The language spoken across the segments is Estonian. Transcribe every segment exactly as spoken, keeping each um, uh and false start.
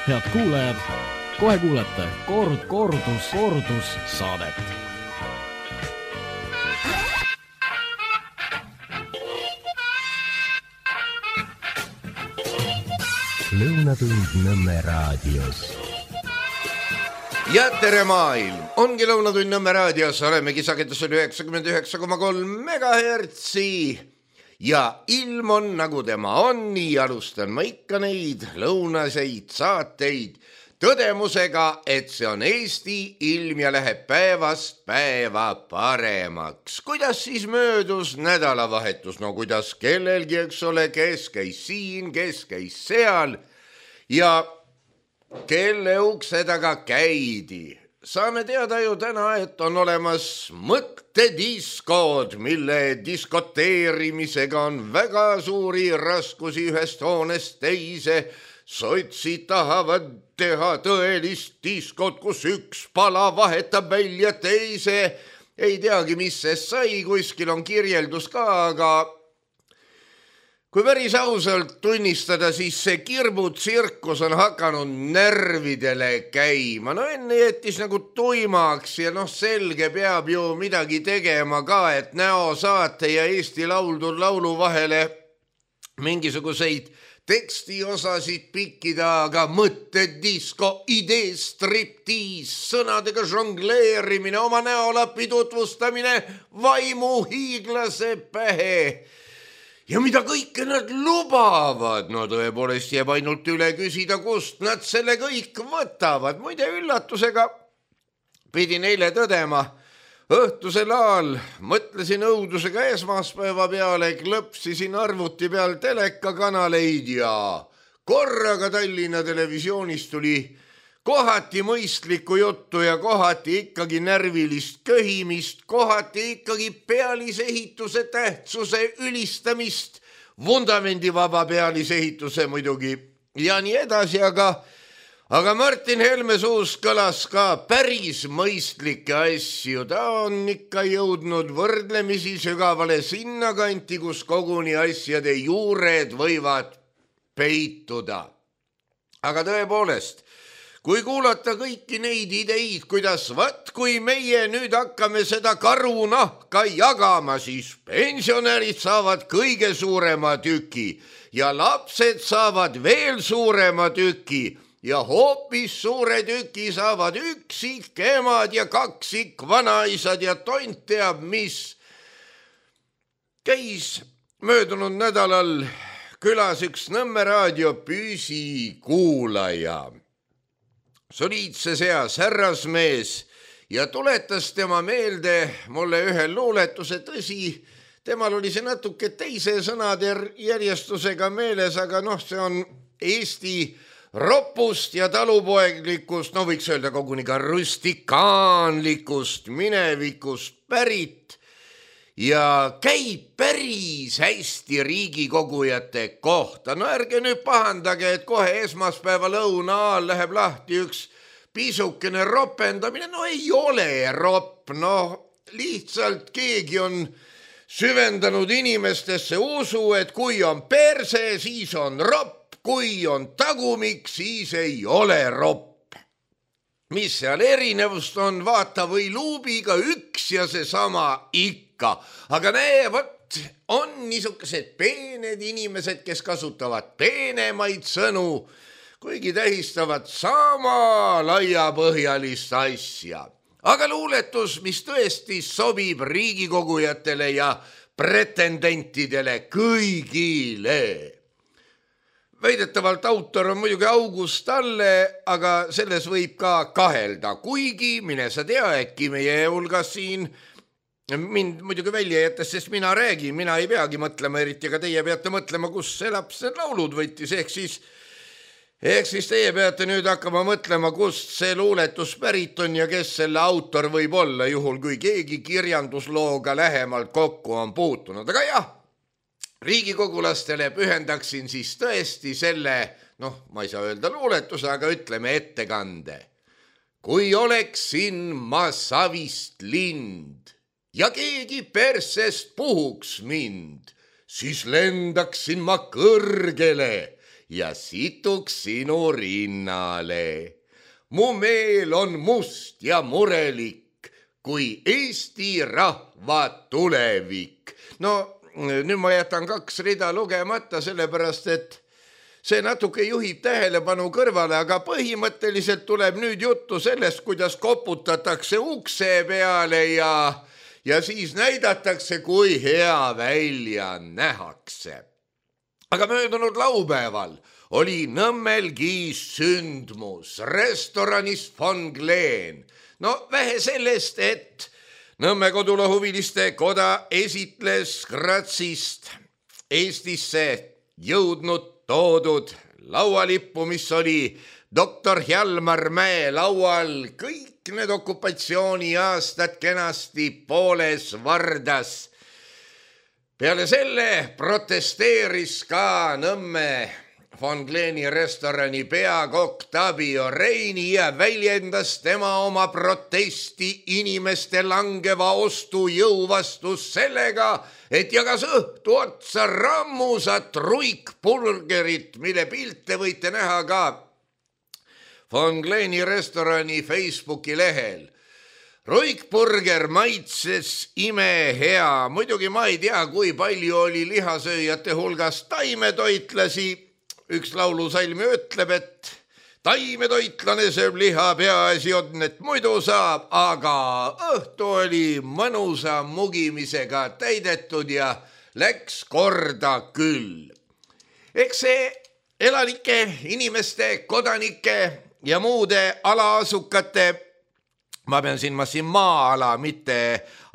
Head kuulajad, kohe kuulete kord, kordus, kordus saadet. Lõunatund Nõmme raadios. Ja tere maailm! Ongi Lõunatund Nõmme raadios, olemegi sagedusel üheksakümmend üheksa koma kolm megahertsi ja ilm on nagu tema on, nii alustan ma ikka neid lõunaseid saateid tõdemusega, et see on Eesti ilm ja läheb päevast päeva paremaks. Kuidas siis möödus nädalavahetus? No kuidas kellelgi, eks ole, kes käis siin, kes käis seal ja kelle ukse taga käidi. Saame teada ju täna, et on olemas mõttediskod, mille diskoteerimisega on väga suuri raskusi ühest hoonest teise. Sotsid tahavad teha tõelist diskot, kus üks pala vahetab välja teise. Ei teagi, mis see sai, kuskil on kirjeldus ka, aga kui päris ausalt tunnistada, siis see kirbutsirkus on hakanud närvidele käima. No enne jättis nagu tuimaks ja noh, selge peab ju midagi tegema ka, et näosaate ja Eesti Lauldu laulu vahele mingisuguseid tekstiosasid pikkida, aga mõttedisko, idee striptiis, sõnadega žongleerimine, oma näolapi tutvustamine, vaimu hiiglase pähe. Ja mida kõike nad lubavad? No tõepoolest jääb ainult üle küsida, kust nad selle kõik võtavad. Muide üllatusega pidin eile tõdema, õhtusel ajal mõtlesin õudusega esmaspäeva peale, klõpsisin arvuti peal telekakanaleid ja korraga Tallinna Televisioonis tuli kohati mõistlikku juttu ja kohati ikkagi närvilist köhimist, kohati ikkagi pealisehituse tähtsuse ülistamist, vundamendivaba pealisehituse muidugi ja nii edasi, aga, aga Martin Helme suust kõlas ka päris mõistlikke asju. Ta on ikka jõudnud võrdlemisi sügavale sinnakanti, kus koguni asjade juured võivad peituda. Aga tõepoolest, kui kuulata kõiki neid ideid, kuidas vaat kui meie nüüd hakkame seda karunahka jagama, siis pensionärid saavad kõige suurema tüki ja lapsed saavad veel suurema tüki ja hoopis suure tüki saavad üksik emad ja kaksik vanaisad ja tont teab mis. Käis möödunud nädalal külas üks Nõmme raadio püsikuulaja. Soliidse seas härrasmees ja tuletas tema meelde mulle ühe luuletuse. Tõsi, temal oli see natuke teise sõnade järjestusega meeles, aga noh, see on Eesti ropust ja talupoeglikust, no võiks öelda koguni ka rustikaanlikust minevikust pärit ja käib päris hästi riigikogujate kohta. No ärge nüüd pahandage, et kohe esmaspäeva lõuna ajal läheb lahti üks pisukene ropendamine. No ei ole ropp, no lihtsalt keegi on süvendanud inimestesse usu, et kui on perse, siis on ropp, kui on tagumik, siis ei ole ropp. Mis seal erinevust on, vaata või luubiga üks ja seesama ikka. Aga näe, võt, on niisugused peened inimesed, kes kasutavad peenemaid sõnu, kuigi tähistavad sama laiapõhjalist asja. Aga luuletus, mis tõesti sobib riigikogujatele ja pretendentidele kõigile. Väidetavalt autor on muidugi August Talle, aga selles võib ka kahelda, kuigi mine sa tea, äkki meie hulgas siin mind muidugi välja jättes, sest mina räägin, mina ei peagi mõtlema eriti, aga teie peate mõtlema, kus see laps need laulud võttis, ehk siis, ehk siis teie peate nüüd hakkama mõtlema, kust see luuletus pärit on ja kes selle autor võib olla, juhul kui keegi kirjanduslooga lähemalt kokku on puutunud. Aga jah, riigikogulastele pühendaksin siis tõesti selle, noh, ma ei saa öelda luuletuse, aga ütleme ettekande. Kui oleksin ma savist lind ja keegi persest puhuks mind, siis lendaksin ma kõrgele ja situks sinu rinnale. Mu meel on must ja murelik, kui Eesti rahva tulevik. No nüüd ma jätan kaks rida lugemata, sellepärast et see natuke juhib tähelepanu kõrvale, aga põhimõtteliselt tuleb nüüd juttu sellest, kuidas koputatakse ukse peale ja, ja siis näidatakse, kui hea välja nähakse. Aga möödunud laupäeval oli Nõmmelgi sündmus restoranis Von Gleen. No vähe sellest, et Nõmme Kodulohuviliste Koda esitles Gratsist Eestisse jõudnud toodud laualippu, mis oli doktor Hjalmar Mäe laual, kõik need okupatsiooniaastad kenasti pooles vardas. Peale selle protesteeris ka Nõmme Von Gleeni restorani peakokk Tabio Reini ja väljendas tema oma protesti inimeste langeva ostujõu vastus sellega, et jagas õhtu otsa rammusat ruikburgerit, mille pilte võite näha ka Von Gleeni restorani Facebooki lehel. Ruikburger maitses imehea, muidugi ma ei tea, kui palju oli lihasööjate hulgas taimetoitlasi. Üks laulusalmi ütleb, et taimetoitlane sööb liha, peaasi on, et muidu saab, aga õhtu oli mõnusa mugimisega täidetud ja läks korda küll. Eks see elanike, inimeste, kodanike ja muude alaasukate, ma pean siin, ma siin maa-ala, mitte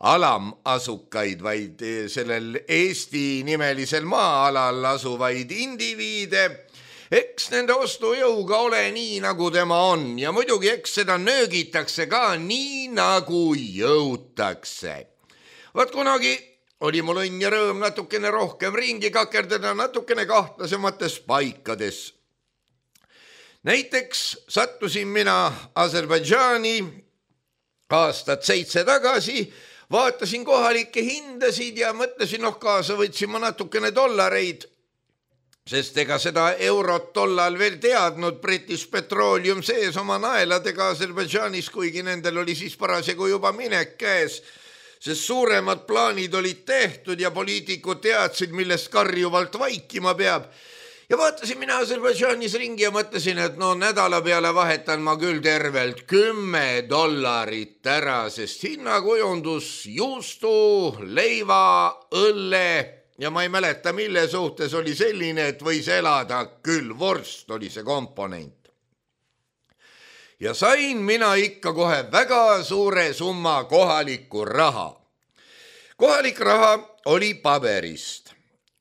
alamasukaid, vaid sellel Eesti nimelisel maa-alal asuvaid indiviide, eks nende ostujõuga ole nii, nagu tema on ja muidugi eks seda nöögitakse ka nii, nagu jõutakse. Vaat kunagi oli mul õnn ja rõõm natukene rohkem ringi kakerdada natukene kahtlasemates paikades. Näiteks sattusin mina Aserbaidžaani aastat seitse tagasi, vaatasin kohalikke hindasid ja mõtlesin, noh kaasa võtsin ma natukene dollareid, sest ega seda eurot tollal veel teadnud British Petroleum sees oma naeladega Aserbaidžaanis, kuigi nendel oli siis parasjagu juba minek käes, sest suuremad plaanid olid tehtud ja poliitikud teadsid, millest karjuvalt vaikima peab. Ja vaatasin mina Aserbaidžaanis ringi ja mõtlesin, et no nädala peale vahetan ma küll tervelt kümme dollarit ära, sest hinnakujundus juustu, leiva, õlle ja ma ei mäleta, mille suhtes oli selline, et võis elada küll, vorst oli see komponent. Ja sain mina ikka kohe väga suure summa kohalikku raha. Kohalik raha oli paberist.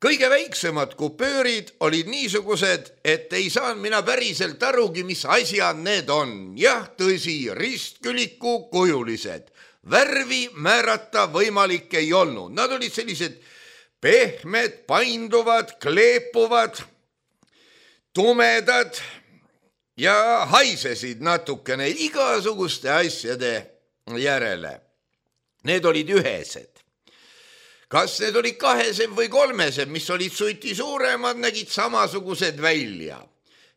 Kõige väiksemad kupöörid olid niisugused, et ei saan mina päriselt arugi, mis asjad need on. Jah, tõsi, ristküliku kujulised. Värvi määrata võimalik ei olnud. Nad olid sellised pehmed, painduvad, kleepuvad, tumedad ja haisesid natukene igasuguste asjade järele. Need olid ühesed. Kas need olid kahesed või kolmesed, mis olid suiti suuremad, nägid samasugused välja.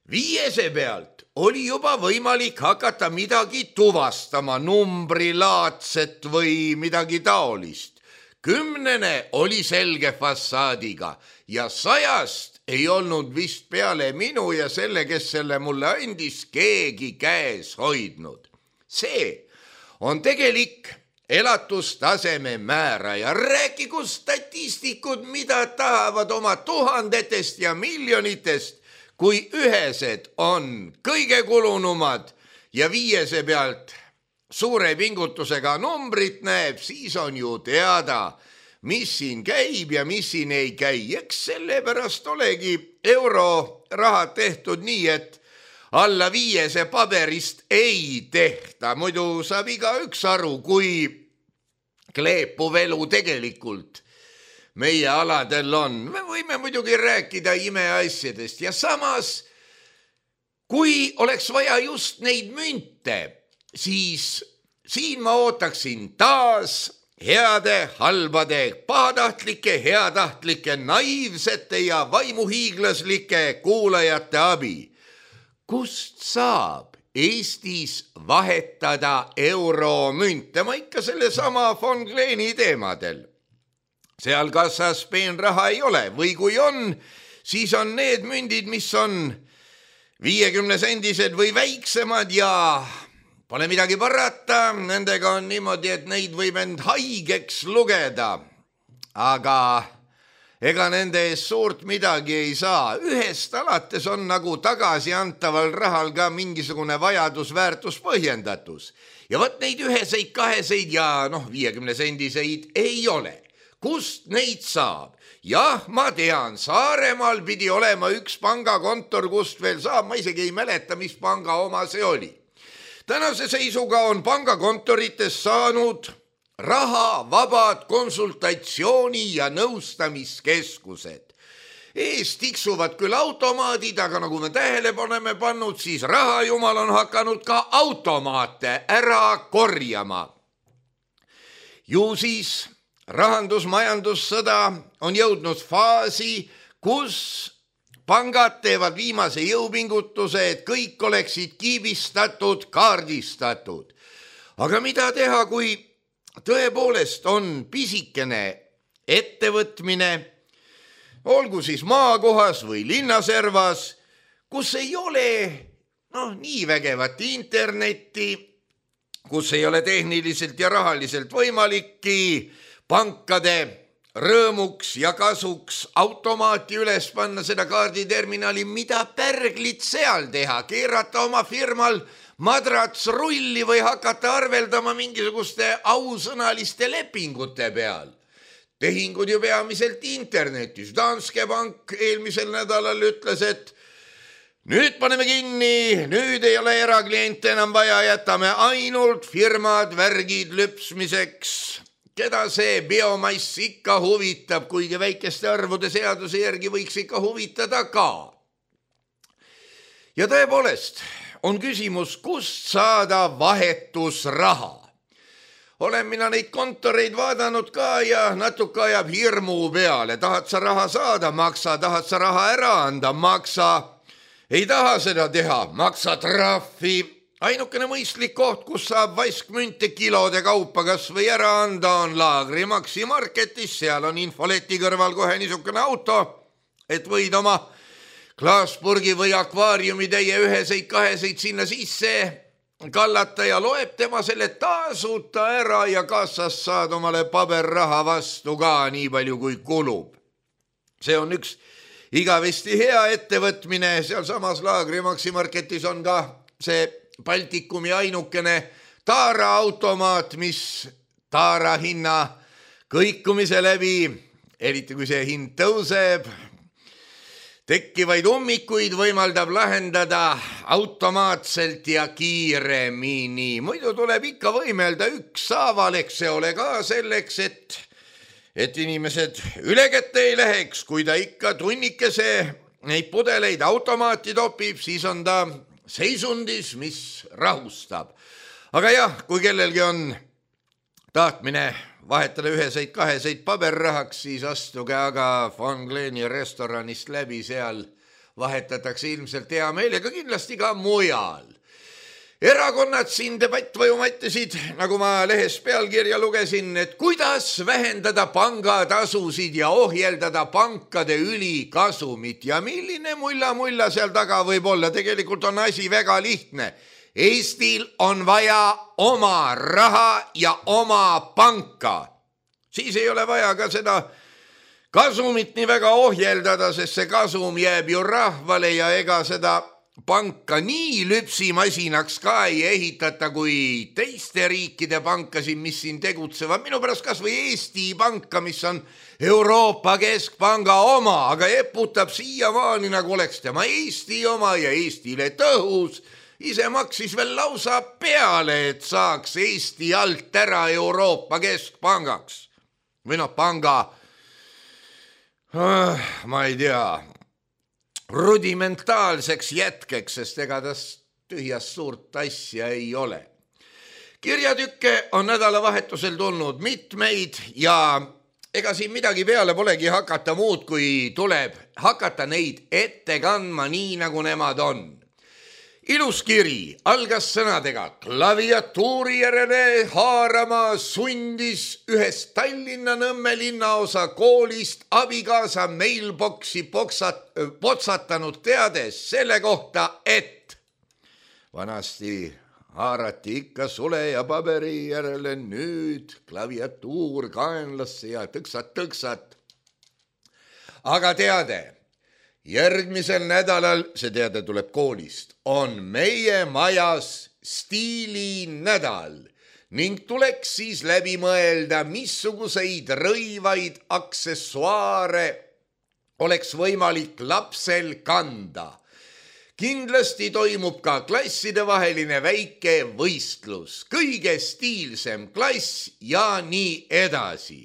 Viiese pealt oli juba võimalik hakata midagi tuvastama, numbrilaadset või midagi taolist. Kümnene oli selge fassaadiga ja sajast ei olnud vist peale minu ja selle, kes selle mulle andis, keegi käes hoidnud. See on tegelik elatustaseme määraja. Rääkigu statistikud, mida tahavad oma tuhandetest ja miljonitest, kui ühesed on kõige kulunumad ja viiese pealt suure pingutusega numbrit näeb, siis on ju teada, mis siin käib ja mis siin ei käi. Eks sellepärast olegi eurorahad tehtud nii, et alla viiese paberist ei tehta. Muidu saab igaüks aru, kui kleepuv elu tegelikult meie aladel on. Me võime muidugi rääkida imeasjadest ja samas, kui oleks vaja just neid münte, siis siin ma ootaksin taas heade, halbade, pahatahtlike, heatahtlike, naiivsete ja vaimuhiiglaslike kuulajate abi. Kust saab Eestis vahetada euromünte? Ma ikka selle sama von Kleeni teemadel. Seal kassas peenraha ei ole või kui on, siis on need mündid, mis on viiekümne sendised või väiksemad ja pole midagi parata, nendega on niimoodi, et neid võib end haigeks lugeda. Aga ega nende ees suurt midagi ei saa. Ühest alates on nagu tagasiantaval rahal ka mingisugune vajadusväärtus põhjendatus. Ja võt neid üheseid, kaheseid ja noh, viiekümne sendiseid ei ole. Kust neid saab? Jah, ma tean, Saaremaal pidi olema üks pangakontor, kust veel saab, ma isegi ei mäleta, mis panga oma see oli. Tänase seisuga on pangakontorites saanud raha vabad konsultatsiooni- ja nõustamiskeskused. Ees tiksuvad küll automaadid, aga nagu me tähele paneme pannud, siis rahajumal on hakanud ka automaate ära korjama. Ju siis rahandus-majandussõda on jõudnud faasi, kus pangad teevad viimase jõupingutuse, et kõik oleksid kiibistatud, kaardistatud. Aga mida teha, kui tõepoolest on pisikene ettevõtmine, olgu siis maakohas või linnaservas, kus ei ole noh, nii vägevat internetti, kus ei ole tehniliselt ja rahaliselt võimalikki pankade rõõmuks ja kasuks automaati üles panna seda kaarditerminali, mida pärglit seal teha, keerata oma firmal madrats rulli või hakata arveldama mingisuguste ausõnaliste lepingute peal. Tehingud ju peamiselt internetis. Danske Bank eelmisel nädalal ütles, et nüüd paneme kinni, nüüd ei ole erakliente enam vaja, jätame ainult firmad värgid lüpsmiseks. Keda see biomass ikka huvitab, kuigi väikeste arvude seaduse järgi võiks ikka huvitada ka. Ja tõepoolest on küsimus, kust saada vahetusraha. Olen mina neid kontoreid vaadanud ka ja natuke ajab hirmu peale. Tahad sa raha saada, maksa, tahad sa raha ära anda, maksa. Ei taha seda teha, maksa trahvi. Ainukene mõistlik koht, kus saab vaiskmünte kilode kaupa kas või ära anda, on Laagri Maxi Marketis. Seal on infoleti kõrval kohe niisugune auto, et võid oma klaaspurgi või akvaariumi täie üheseid, kaheseid sinna sisse kallata ja loeb tema selle tasuta ära ja kassas saad omale paberraha vastu ka nii palju kui kulub. See on üks igavesti hea ettevõtmine. Seal samas Laagri Maxi Marketis on ka see Baltikumi ainukene taaraautomaat, mis taara hinna kõikumise läbi, eriti kui see hind tõuseb, tekkivaid ummikuid võimaldab lahendada automaatselt ja kiiremini. Muidu tuleb ikka võimelda ükshaaval, eks see ole ka selleks, et, et inimesed üle kätte ei läheks. Kui ta ikka tunnikese neid pudeleid automaati topib, siis on ta seisundis, mis rahustab. Aga jah, kui kellelgi on tahtmine vahetada üheseid, kaheseid paberrahaks, siis astuge aga von Kleeni restoranist läbi, seal vahetatakse ilmselt hea meelega, kindlasti ka mujal. Erakonnad siin debattvõjuma ettesid, nagu ma lehes pealkirja lugesin, et kuidas vähendada pangatasusid ja ohjeldada pankade ülikasumit ja milline mulla-mulla seal taga võib olla. Tegelikult on asi väga lihtne. Eestil on vaja oma raha ja oma panka. Siis ei ole vaja ka seda kasumit nii väga ohjeldada, sest see kasum jääb ju rahvale ja ega seda panka nii lüpsimasinaks ka ei ehitata kui teiste riikide pankasid, mis siin tegutsevad. Minu pärast kas või Eesti panka, mis on Euroopa Keskpanga oma, aga eputab siiamaani nagu oleks tema Eesti oma ja Eestile tõhus. Ise maksis veel lausa peale, et saaks Eesti alt ära Euroopa Keskpangaks. Või noh, panga, ma ei tea, rudimentaalseks jätkeks, sest ega tas tühjast suurt asja ei ole. kirjatükke on nädalavahetusel tulnud mitmeid ja ega siin midagi peale polegi hakata muud, kui tuleb hakata neid ette kandma nii, nagu nemad on. Ilus kiri algas sõnadega klaviatuuri järele haarama sundis ühest Tallinna Nõmme linnaosa koolist abikaasa mailboxi poksat, potsatanud teades selle kohta, et vanasti haarati ikka sule ja paberi järele, nüüd klaviatuur kaenlasse ja tõksat-tõksat. Aga teade, järgmisel nädalal, see teade tuleb koolist, on meie majas stiilinädal ning tuleks siis läbi mõelda, missuguseid rõivaid aksessuaare oleks võimalik lapsel kanda. Kindlasti toimub ka klassidevaheline väike võistlus, kõige stiilsem klass ja nii edasi.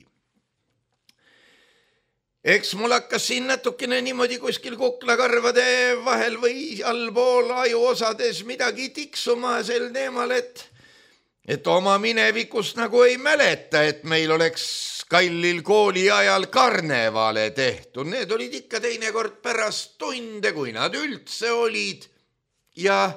Eks mul hakkas siin natukene niimoodi kuskil kuklakarvade vahel või allpool ajuosades midagi tiksuma sel teemal, et, et oma minevikust nagu ei mäleta, et meil oleks kallil kooli ajal karnevale tehtud. Need olid ikka teinekord pärast tunde, kui nad üldse olid. Ja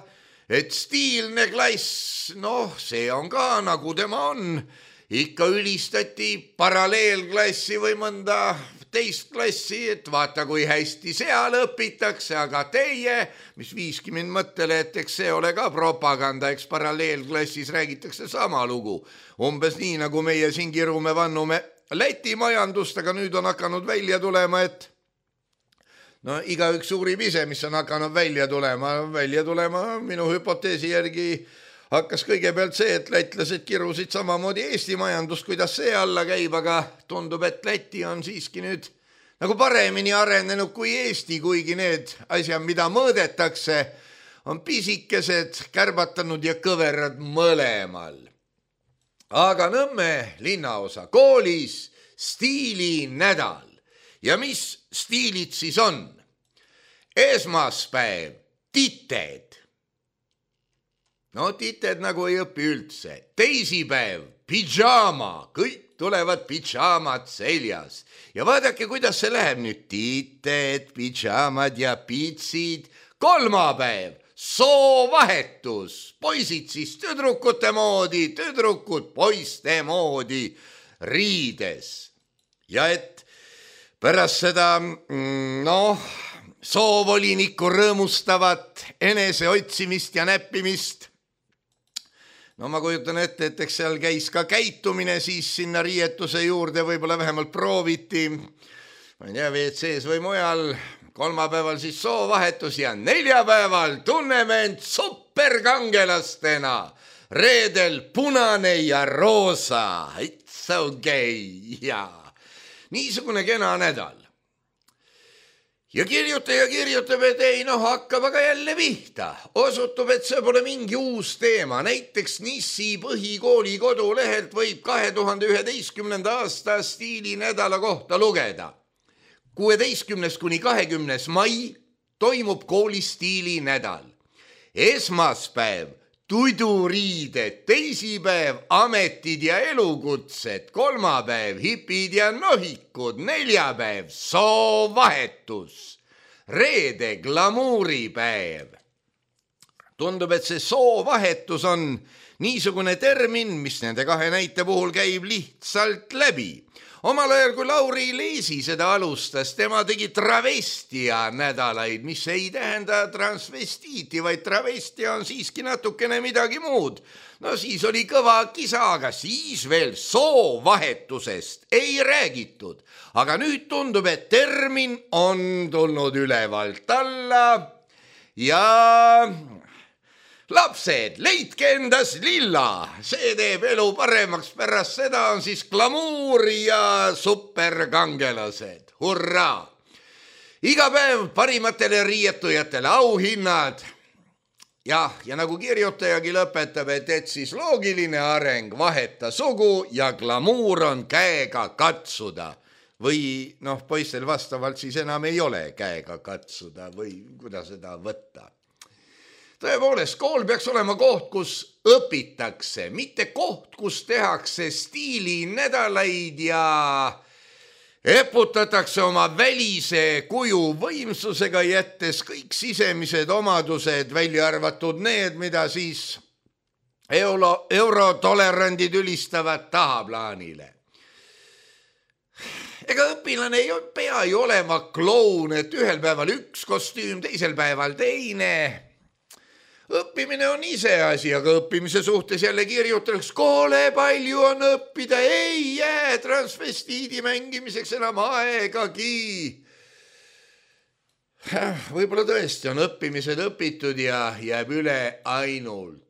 et stiilne klass, noh, see on ka nagu tema on. Ikka ülistati paralleelklassi või mõnda teist klassi, et vaata, kui hästi seal õpitakse, aga teie, mis viiski mind mõttele, et eks see ole ka propaganda, eks paralleelklassis räägitakse sama lugu. Umbes nii, nagu meie siin kirume vannume Läti majandust, aga nüüd on hakanud välja tulema, et no igaüks uurib ise, mis on hakanud välja tulema. Välja tulema minu hüpoteesi järgi hakkas kõigepealt see, et lätlased kirusid samamoodi Eesti majandust, kuidas see alla käib, aga tundub, et Läti on siiski nüüd nagu paremini arenenud kui Eesti, kuigi need asjad, mida mõõdetakse, on pisikesed, kärbatanud ja kõverad mõlemal. Aga Nõmme linnaosa koolis stiilinädal. Ja mis stiilid siis on? Esmaspäev, tited. No tited nagu ei õpi üldse. Teisipäev, pidžaama, kõik tulevad pidžaamad seljas. Ja vaadake, kuidas see läheb nüüd. Tited, pidžaamad ja pitsid. Kolmapäev, soovahetus. Poisid siis tüdrukute moodi, tüdrukud poiste moodi riides. Ja et pärast seda, noh, soovolinikku rõõmustavat enese otsimist ja näppimist, no ma kujutan ette, et eks seal käis ka käitumine, siis sinna riietuse juurde võib-olla vähemalt prooviti, ma ei tea, V C-s või mujal, kolmapäeval siis soovahetus ja neljapäeval tunneme end superkangelastena, reedel punane ja roosa, it's okay, jaa, niisugune kena nädal. Ja kirjutaja kirjutab, et ei, noh, hakkab aga jälle pihta. Osutub, et see pole mingi uus teema. Näiteks Nissi põhikooli kodulehelt võib kahe tuhande üheteistkümnenda aasta stiilinädala kohta lugeda. kuueteistkümnes kuni kahekümnes mai toimub kooli stiilinädal. Esmaspäev, tuduriided, teisipäev, ametid ja elukutsed, kolmapäev, hipid ja nohikud, neljapäev, soovahetus, reede, glamuuripäev. Tundub, et see soovahetus on niisugune termin, mis nende kahe näite puhul käib lihtsalt läbi. Omal ajal, kui Lauri Leesi seda alustas, tema tegi travestia nädalaid, mis ei tähenda transvestiiti, vaid travestia on siiski natukene midagi muud. No siis oli kõva kisa, aga siis veel soovahetusest ei räägitud. Aga nüüd tundub, et termin on tulnud ülevalt alla ja... Lapsed, leidke endas lilla, see teeb elu paremaks, pärast seda on siis glamuur ja superkangelased, hurraa! Iga päev parimatele riietujatele auhinnad. Jah, ja nagu kirjutajagi lõpetab, et, et siis loogiline areng vaheta sugu ja glamuur on käega katsuda. Või noh, poistel vastavalt siis enam ei ole käega katsuda või kuidas seda võtta. tõepoolest, kool peaks olema koht, kus õpitakse, mitte koht, kus tehakse stiilinädalaid ja eputatakse oma välise kuju võimsusega, jättes kõik sisemised omadused, välja arvatud need, mida siis euro, eurotolerandid ülistavad tahaplaanile. Ega õpilane ei pea ju olema kloun, et ühel päeval üks kostüüm, teisel päeval teine. Õppimine on ise asi, aga õppimise suhtes jälle kirjutaks, koole palju on õppida, ei jää transvestiidi mängimiseks enam aegagi. Võib-olla tõesti on õppimised õpitud ja jääb üle ainult.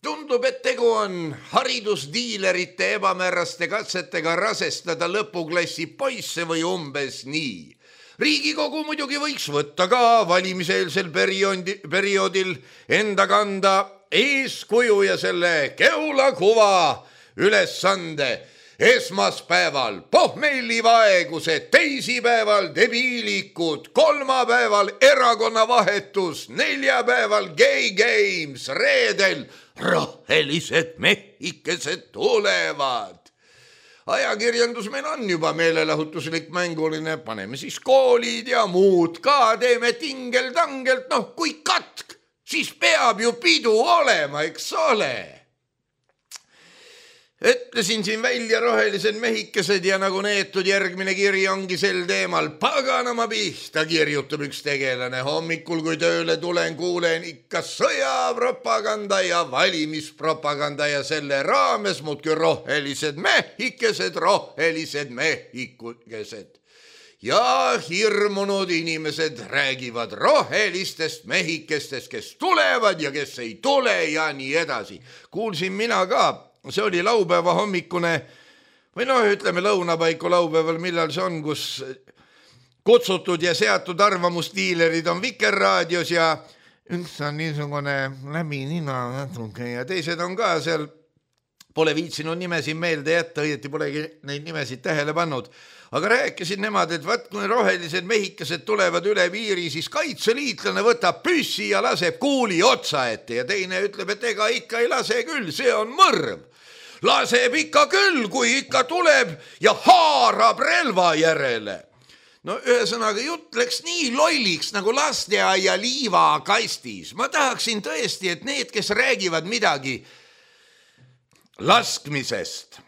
Tundub, et tegu on haridusdiilerite ebamääraste katsetega rasestada lõpuklassi poisse või umbes nii. Riigikogu muidugi võiks võtta ka valimiseelsel perioodi, perioodil enda kanda eeskuju ja selle keulakuva ülesande. Esmaspäeval pohmellivaegused, teisipäeval debiilikud, kolmapäeval erakonnavahetus, neljapäeval gay games, reedel rohelised mehikesed tulevad. Ajakirjandus meil on juba meelelahutuslik mänguline, paneme siis koolid ja muud ka, teeme tingel-tangelt, noh kui katk, siis peab ju pidu olema, eks ole. Ütlesin siin välja rohelised mehikesed ja nagu neetud järgmine kiri ongi sel teemal. Paganama pihta, kirjutab üks tegelane. Hommikul, kui tööle tulen, kuulen ikka sõjapropaganda ja valimispropaganda ja selle raames muudki rohelised mehikesed, rohelised mehikesed. Ja hirmunud inimesed räägivad rohelistest mehikestest, kes tulevad ja kes ei tule ja nii edasi. Kuulsin mina ka. See oli laupäeva hommikune või noh, ütleme lõunapaiku laupäeval, millal see on, kus kutsutud ja seatud arvamusdiilerid on Vikerraadios ja üks on niisugune läbi nina natuke ja teised on ka seal, pole viitsinud nimesid meelde jätta, õieti polegi neid nimesid tähele pannud. Aga rääkisid nemad, et vaat kui rohelised mehikesed tulevad üle piiri, siis kaitseliitlane võtab püssi ja laseb kuuli otsa ette ja teine ütleb, et ega ikka ei lase küll, see on mõrv. Laseb ikka küll, kui ikka tuleb ja haarab relva järele. No ühesõnaga jutt läks nii lolliks nagu lasteaia liivakastis. Ma tahaksin tõesti, et need, kes räägivad midagi laskmisest,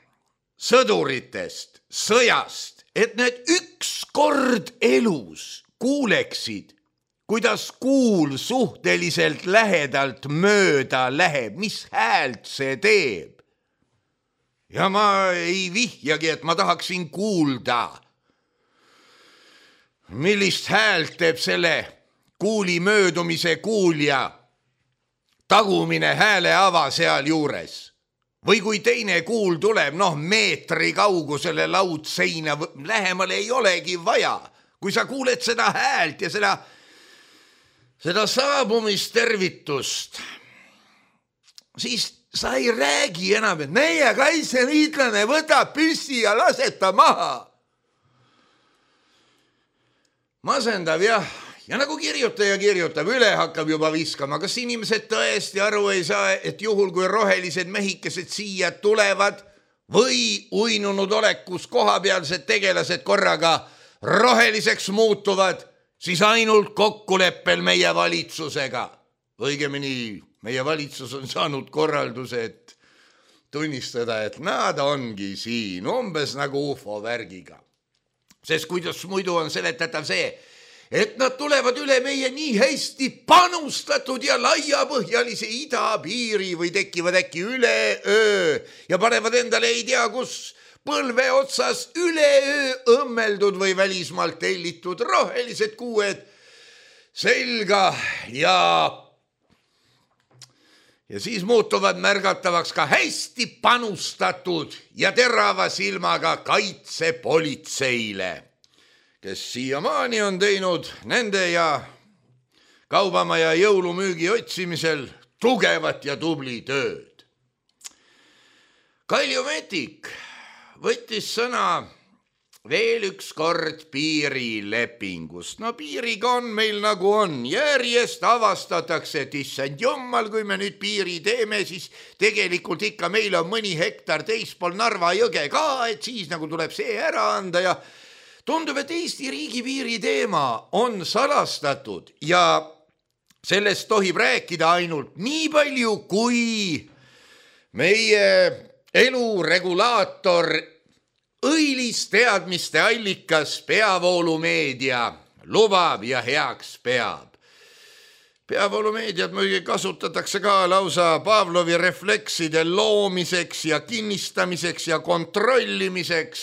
sõduritest, sõjast, et need üks kord elus kuuleksid, kuidas kuul suhteliselt lähedalt mööda läheb, mis häält see teeb. Ja ma ei vihjagi, et ma tahaksin kuulda, millist häält teeb selle kuuli möödumise kuulja tagumine hääleava seal juures. Või kui teine kuul tuleb, noh meetri kaugusele laudseina, lähemale ei olegi vaja. Kui sa kuuled seda häält ja seda, seda saabumistervitust, siis sa ei räägi enam, et meie kaitseliitlane võtab püssi ja laseta maha. Masendav jah, ja nagu kirjutaja kirjutab, üle hakkab juba viskama. Kas inimesed tõesti aru ei saa, et juhul kui rohelised mehikesed siia tulevad või uinunud olekus kohapealsed tegelased korraga roheliseks muutuvad, siis ainult kokkuleppel meie valitsusega. Õigemini meie valitsus on saanud korralduse, et tunnistada, et nad ongi siin, umbes nagu U F O värgiga. Sest kuidas muidu on seletatav see, et nad tulevad üle meie nii hästi panustatud ja laiapõhjalise idapiiri või tekivad äkki üle öö ja panevad endale ei tea kus põlve otsas üle öö õmmeldud või välismaalt tellitud rohelised kuued selga ja Ja siis muutuvad märgatavaks ka hästi panustatud ja terava silmaga kaitsepolitseile, kes siiamaani on teinud nende ja kaubamaja jõulumüügi otsimisel tugevat ja tubli tööd. Kalju Metik võttis sõna veel üks kord piirilepingust. No piiriga on meil nagu on. Järjest avastatakse, et issand jummal, kui me nüüd piiri teeme, siis tegelikult ikka meil on mõni hektar teispool Narva jõge ka, et siis nagu tuleb see ära anda ja tundub, et Eesti riigipiiri teema on salastatud ja sellest tohib rääkida ainult nii palju, kui meie eluregulaator õilis teadmiste allikas peavoolumeedia lubab ja heaks peab. Peavoolumeediat muidugi kasutatakse ka lausa Pavlovi reflekside loomiseks ja kinnistamiseks ja kontrollimiseks,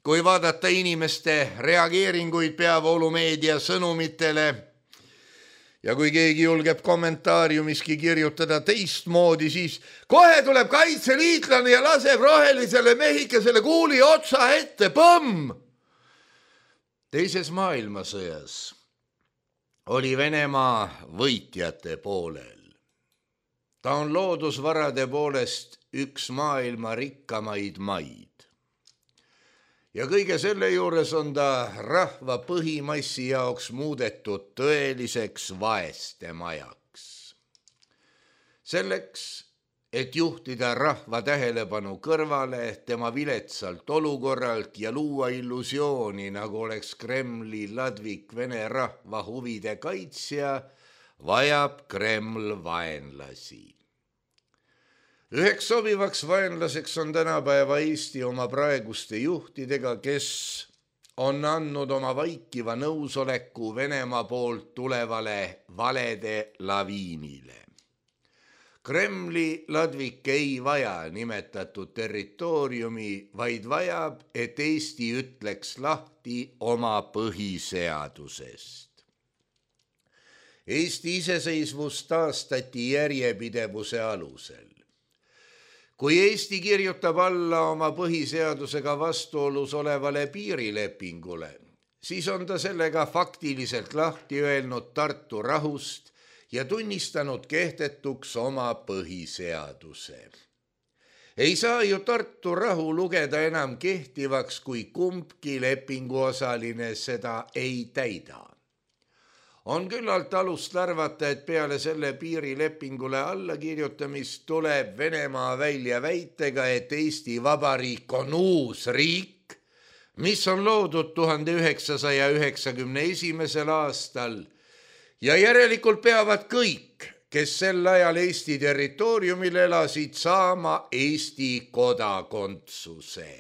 kui vaadata inimeste reageeringuid peavoolumeedia sõnumitele. Ja kui keegi julgeb kommentaariumiski kirjutada teistmoodi, siis kohe tuleb kaitseliitlane ja laseb rohelisele mehikesele kuuli otsa ette, põmm! Teises maailmasõjas oli Venemaa võitjate poolel. Ta on loodusvarade poolest üks maailma rikkamaid maid. Ja kõige selle juures on ta rahva põhimassi jaoks muudetud tõeliseks vaeste majaks. Selleks, et juhtida rahva tähelepanu kõrvale tema viletsalt olukorralt ja luua illusiooni, nagu oleks Kremli ladvik vene rahva huvide kaitsja, vajab Kreml vaenlasi. Üheks sobivaks vaenlaseks on tänapäeva Eesti oma praeguste juhtidega, kes on andnud oma vaikiva nõusoleku Venemaa poolt tulevale valede laviinile. Kremli ladvik ei vaja nimetatud territooriumi, vaid vajab, et Eesti ütleks lahti oma põhiseadusest. Eesti iseseisvus taastati järjepidevuse alusel. Kui Eesti kirjutab alla oma põhiseadusega vastuolus olevale piirilepingule, siis on ta sellega faktiliselt lahti öelnud Tartu rahust ja tunnistanud kehtetuks oma põhiseaduse. Ei saa ju Tartu rahu lugeda enam kehtivaks, kui kumbki lepinguosaline seda ei täida. On küllalt alust arvata, et peale selle piirilepingule allakirjutamist tuleb Venemaa välja väitega, et Eesti Vabariik on uus riik, mis on loodud tuhande üheksasaja üheksakümne esimesel aastal ja järelikult peavad kõik, kes sel ajal Eesti territooriumil elasid, saama Eesti kodakondsuse.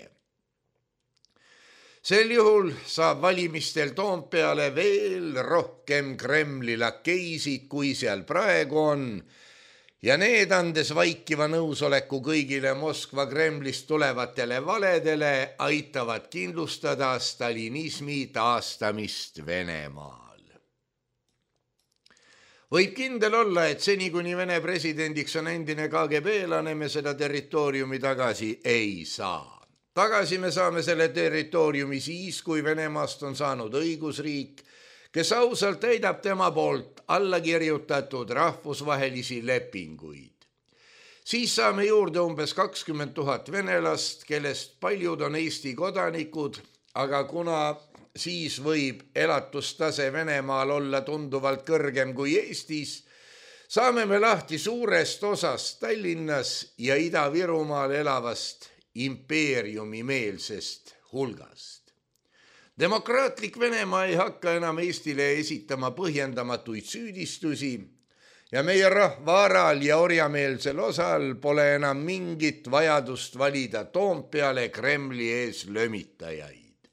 Sel juhul saab valimistel Toompeale veel rohkem Kremli lakeisid, kui seal praegu on, ja need andes vaikiva nõusoleku kõigile Moskva Kremlist tulevatele valedele aitavad kindlustada stalinismi taastamist Venemaal. Võib kindel olla, et seni kuni Vene presidendiks on endine K G B-lane, me seda territooriumi tagasi ei saa. Tagasi me saame selle territooriumi siis, kui Venemaast on saanud õigusriik, kes ausalt täidab tema poolt allakirjutatud rahvusvahelisi lepinguid. Siis saame juurde umbes kakskümmend tuhat venelast, kellest paljud on Eesti kodanikud, aga kuna siis võib elatustase Venemaal olla tunduvalt kõrgem kui Eestis, saame me lahti suurest osast Tallinnas ja Ida-Virumaal elavast impeeriumimeelsest hulgast. Demokraatlik Venemaa ei hakka enam Eestile esitama põhjendamatuid süüdistusi ja meie rahva aral ja orjameelsel osal pole enam mingit vajadust valida Toompeale Kremli ees lömitajaid.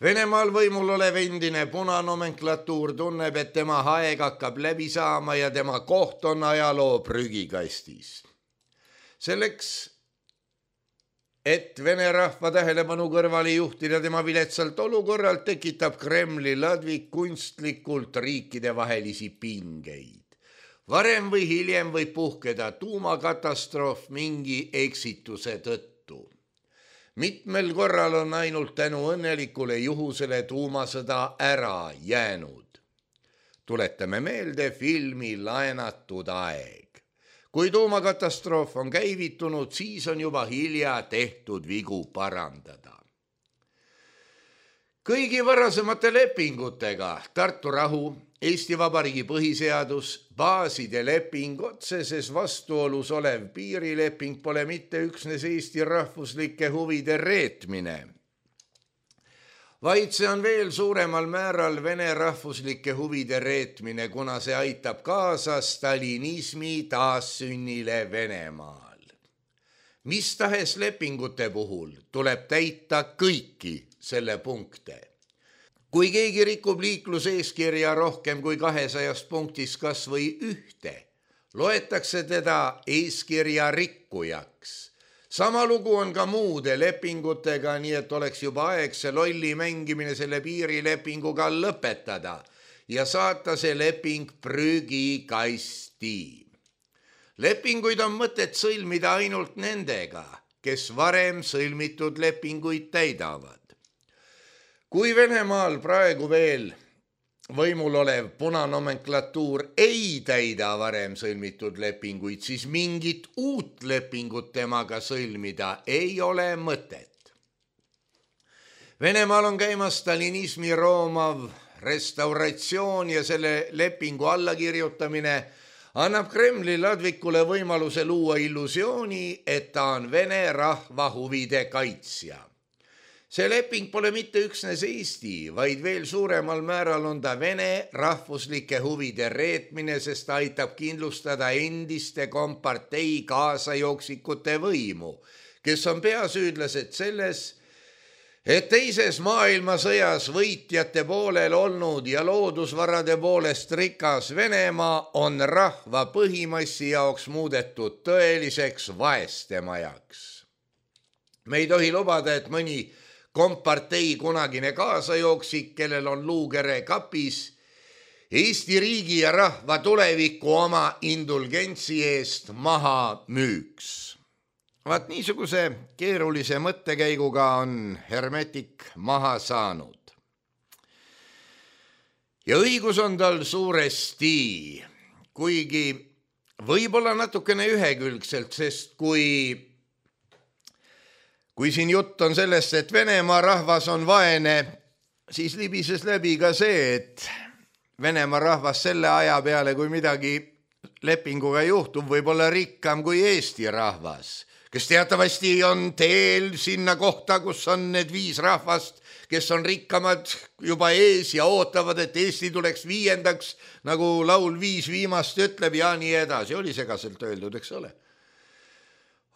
Venemaal võimul olev endine punanomenklatuur tunneb, et tema aeg hakkab läbi saama ja tema koht on ajaloo prügikastis. Selleks, et Vene rahva tähelepanu kõrvale juhtida tema viletsalt olukorralt, tekitab Kremli ladvik kunstlikult riikidevahelisi pingeid. Varem või hiljem võib puhkeda tuumakatastroof mingi eksituse tõttu. Mitmel korral on ainult tänu õnnelikule juhusele tuumasõda ära jäänud. Tuletame meelde filmi Laenatud aeg. Kui tuumakatastroof on käivitunud, siis on juba hilja tehtud vigu parandada. Kõigi varasemate lepingutega Tartu rahu, Eesti Vabariigi põhiseadus, baaside leping, otseses vastuolus olev piirileping pole mitte üksnes Eesti rahvuslike huvide reetmine, vaid see on veel suuremal määral Vene rahvuslike huvide reetmine, kuna see aitab kaasa stalinismi taassünnile Venemaal. Mis tahes lepingute puhul tuleb täita kõiki selle punkte. Kui keegi rikub liikluseeskirja rohkem kui kahesajast punktis kas või ühte, loetakse teda eeskirja rikkujaks. Sama lugu on ka muude lepingutega, nii et oleks juba aeg see lolli mängimine selle piirilepinguga lõpetada ja saata see leping prügikasti. Lepinguid on mõtet sõlmida ainult nendega, kes varem sõlmitud lepinguid täidavad. Kui Venemaal praegu veel võimul olev punanomenklatuur ei täida varem sõlmitud lepinguid, siis mingit uut lepingut temaga sõlmida ei ole mõtet. Venemaal on käimas stalinismi roomav restauratsioon ja selle lepingu allakirjutamine annab Kremli ladvikule võimaluse luua illusiooni, et ta on Vene rahva huvide kaitsja. See leping pole mitte üksnes Eesti, vaid veel suuremal määral on ta Vene rahvuslike huvide reetmine, sest ta aitab kindlustada endiste kompartei kaasajooksikute võimu, kes on peasüüdlased selles, et teises maailmasõjas võitjate poolel olnud ja loodusvarade poolest rikas Venemaa on rahva põhimassi jaoks muudetud tõeliseks vaestemajaks. Me ei tohi lubada, et mõni kompartei kunagine kaasajooksik, kellel on luukere kapis, Eesti riigi ja rahva tuleviku oma indulgentsi eest maha müüks. Vaat niisuguse keerulise mõttekäiguga on Hermetik maha saanud. Ja õigus on tal suuresti, kuigi võib-olla natukene ühekülgselt, sest kui Kui siin jutt on sellest, et Venemaa rahvas on vaene, siis libises läbi ka see, et Venemaa rahvas selle aja peale, kui midagi lepinguga juhtub, võib olla rikkam kui Eesti rahvas, kes teatavasti on teel sinna kohta, kus on need viis rahvast, kes on rikkamad juba ees ja ootavad, et Eesti tuleks viiendaks, nagu laul Viis viimast ütleb ja nii edasi. Oli segaselt öeldud, eks ole.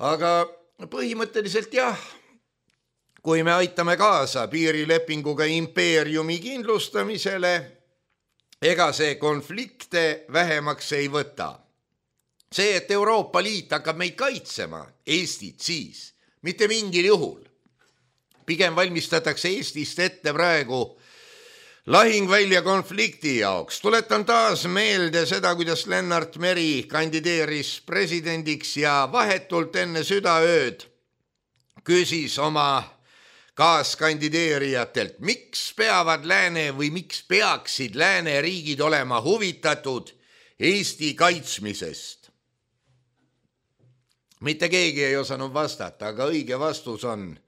Aga põhimõtteliselt jah, kui me aitame kaasa piirilepinguga impeeriumi kindlustamisele, ega see konflikte vähemaks ei võta. See, et Euroopa Liit hakkab meid kaitsema, Eestit siis, mitte mingil juhul. Pigem valmistatakse Eestist ette praegu lahingvälja konflikti jaoks. Tuletan taas meelde seda, kuidas Lennart Meri kandideeris presidendiks ja vahetult enne südaööd küsis oma kaaskandideerijatelt, miks peavad lääne või miks peaksid lääne riigid olema huvitatud Eesti kaitsmisest. Mitte keegi ei osanud vastata, aga õige vastus on: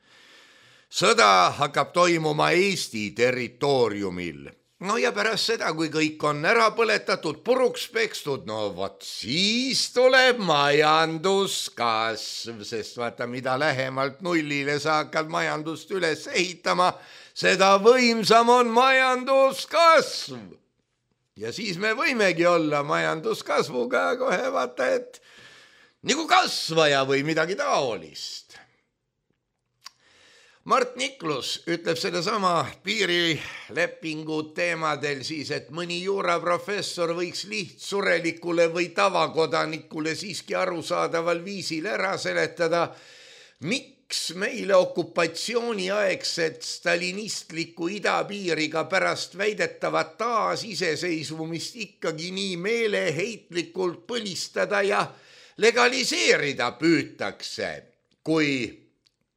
sõda hakkab toimuma Eesti territooriumil. No ja pärast seda, kui kõik on ära põletatud, puruks pekstud, no vot siis tuleb majanduskasv, sest vaata, mida lähemalt nullile sa hakkad majandust üles ehitama, seda võimsam on majanduskasv. Ja siis me võimegi olla majanduskasvuga kohe vaata, et nagu kasvaja või midagi taolist. Mart Niklus ütleb sellesama piirilepingu teemadel siis, et mõni juuraprofessor võiks lihtsurelikule või tavakodanikule siiski arusaadaval viisil ära seletada, miks meile okupatsiooniaegset stalinistliku idapiiriga pärast väidetavat taasiseseisvumist ikkagi nii meeleheitlikult põlistada ja legaliseerida püütakse, kui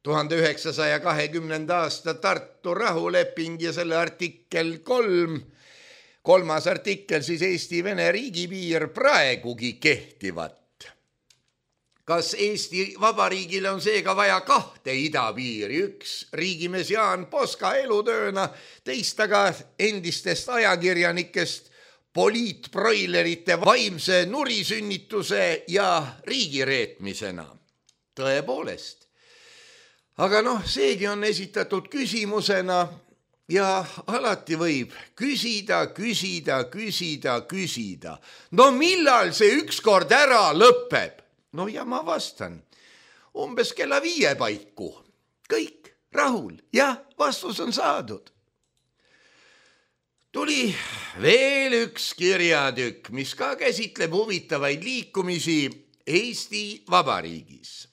tuhande üheksasaja kahekümnenda aasta Tartu rahuleping ja selle artikkel kolm, kolmas artikkel siis Eesti-Vene riigipiir praegugi kehtivat. kas Eesti Vabariigile on seega vaja kahte idapiiri, üks riigimees Jaan Poska elutööna, teist aga endistest ajakirjanikest poliitbroilerite vaimse nurisünnituse ja riigireetmisena. Tõepoolest. Aga noh, seegi on esitatud küsimusena ja alati võib küsida, küsida, küsida, küsida. No millal see ükskord ära lõpeb? No ja ma vastan, umbes kella viie paiku. Kõik rahul ja vastus on saadud. Tuli veel üks kirjatükk, mis ka käsitleb huvitavaid liikumisi Eesti Vabariigis.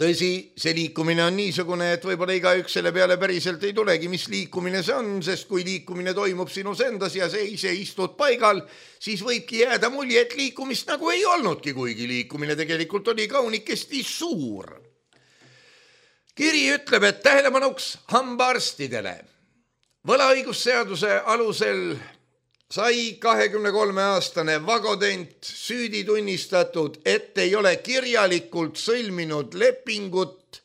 Tõsi, see liikumine on niisugune, et võib-olla igaüks selle peale päriselt ei tulegi, mis liikumine see on, sest kui liikumine toimub sinus endas ja see ise istud paigal, siis võibki jääda mulje, et liikumist nagu ei olnudki, kuigi liikumine tegelikult oli kaunikesti suur. Kiri ütleb, et tähelepanuks hambaarstidele. Võlaõigusseaduse alusel sai kahekümne kolme aastane Vagodent süüdi tunnistatud, et ei ole kirjalikult sõlminud lepingut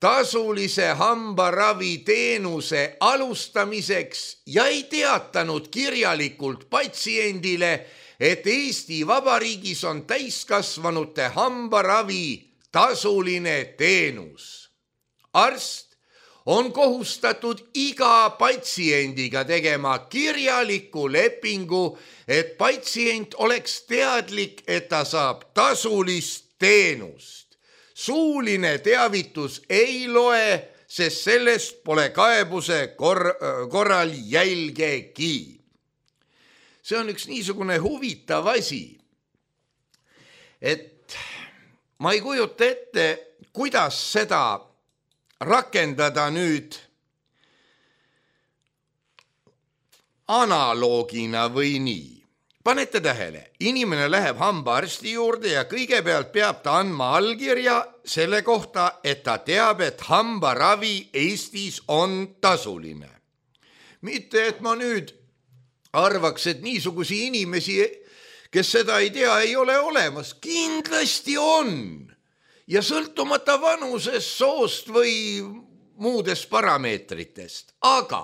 tasulise hambaravi teenuse alustamiseks ja ei teatanud kirjalikult patsiendile, et Eesti Vabariigis on täiskasvanute hambaravi tasuline teenus. Arst on kohustatud iga patsiendiga tegema kirjaliku lepingu, et patsient oleks teadlik, et ta saab tasulist teenust. Suuline teavitus ei loe, sest sellest pole kaebuse kor- korral jälgegi. See on üks niisugune huvitav asi, et ma ei kujuta ette, kuidas seda rakendada nüüd analoogina või nii. Panete tähele, inimene läheb hambaarsti juurde ja kõigepealt peab ta andma allkirja selle kohta, et ta teab, et hambaravi Eestis on tasuline. Mitte, et ma nüüd arvaks, et niisugusi inimesi, kes seda ei tea, ei ole olemas. Kindlasti on. Ja sõltumata vanusest, soost või muudest parameetritest. Aga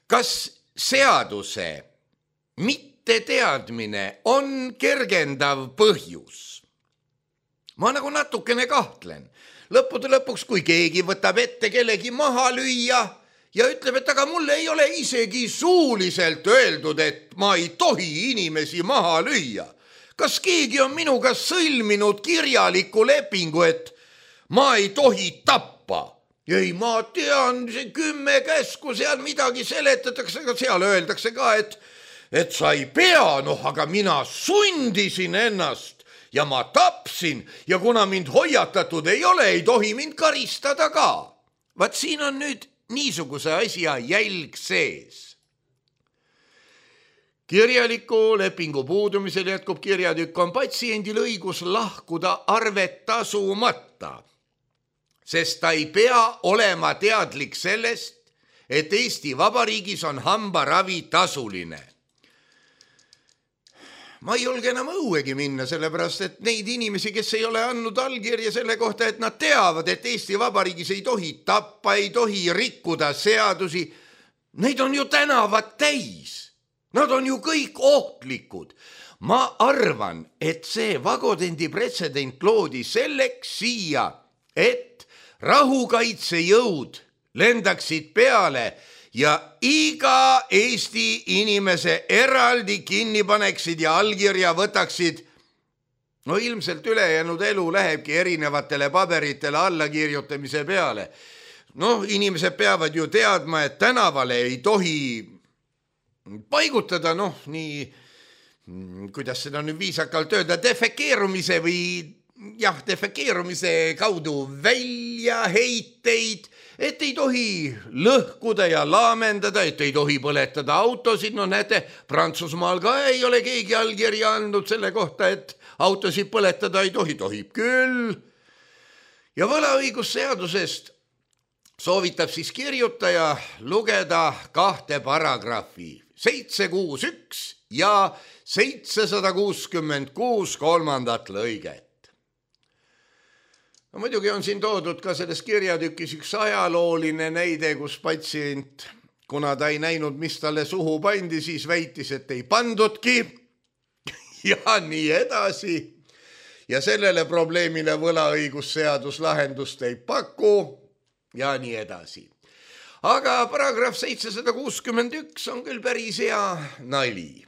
kas seaduse mitteteadmine on kergendav põhjus? Ma nagu natukene kahtlen. Lõppude lõpuks, kui keegi võtab ette kellegi maha lüüa ja ütleb, et aga mulle ei ole isegi suuliselt öeldud, et ma ei tohi inimesi maha lüüa. Kas keegi on minuga sõlminud kirjaliku lepingu, et ma ei tohi tappa? Ei, ma tean, see kümme käsku, seal midagi seletatakse, aga seal öeldakse ka, et, et sa ei pea, noh, aga mina sundisin ennast ja ma tapsin ja kuna mind hoiatatud ei ole, ei tohi mind karistada ka. Vaat siin on nüüd niisuguse asja jälg sees. Kirjaliku lepingu puudumisel jätkub kirjatükk, on patsiendil õigus lahkuda arvet tasumata, sest ta ei pea olema teadlik sellest, et Eesti Vabariigis on hambaravi tasuline. Ma ei julge enam õuegi minna, sellepärast, et neid inimesi, kes ei ole andnud allkirja selle kohta, et nad teavad, et Eesti Vabariigis ei tohi tappa, ei tohi rikkuda seadusi, neid on ju tänavad täis. Nad on ju kõik ohtlikud. Ma arvan, et see Vagodendi pretsedent loodi selleks siia, et rahukaitsejõud lendaksid peale ja iga Eesti inimese eraldi kinni paneksid ja allkirja võtaksid. No ilmselt ülejäänud elu lähebki erinevatele paberitele allakirjutamise peale. No inimesed peavad ju teadma, et tänavale ei tohi paigutada, noh, nii, kuidas seda nüüd viisakalt öelda, defekeerumise või jah, defekeerumise kaudu väljaheiteid, et ei tohi lõhkuda ja laamendada, et ei tohi põletada autosid. No näete, Prantsusmaal ka ei ole keegi allkirja andnud selle kohta, et autosid põletada ei tohi, tohib küll. Ja võlaõigusseadusest soovitab siis kirjutaja lugeda kahte paragrahvi. seitse kuus üks ja seitsesada kuuskümmend kuus kolmandat lõiget. No, muidugi on siin toodud ka selles kirjatükis üks ajalooline näide, kus patsient, kuna ta ei näinud, mis talle suhu pandi, siis väitis, et ei pandudki ja nii edasi. Ja sellele probleemile võlaõigusseadus lahendust ei paku ja nii edasi. Aga paragrahv seitsesada kuuskümmend üks on küll päris hea nali.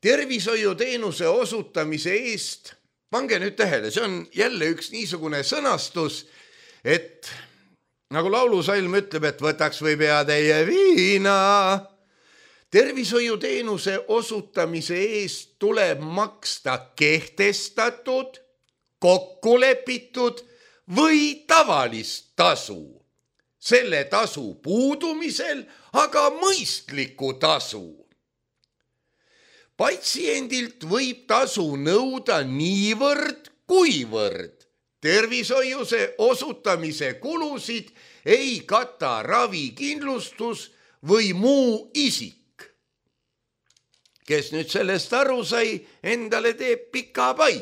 Tervishoiuteenuse osutamise eest, pange nüüd tähele, see on jälle üks niisugune sõnastus, et nagu laulusalm ütleb, et võtaks või peatäie viina. Tervishoiuteenuse osutamise eest tuleb maksta kehtestatud, kokkulepitud või tavalist tasu. Selle tasu puudumisel aga mõistliku tasu. Patsiendilt võib tasu nõuda niivõrd, kuivõrd tervishoiuse osutamise kulusid ei kata ravikindlustus või muu isik. Kes nüüd sellest aru sai, endale teeb pika pai.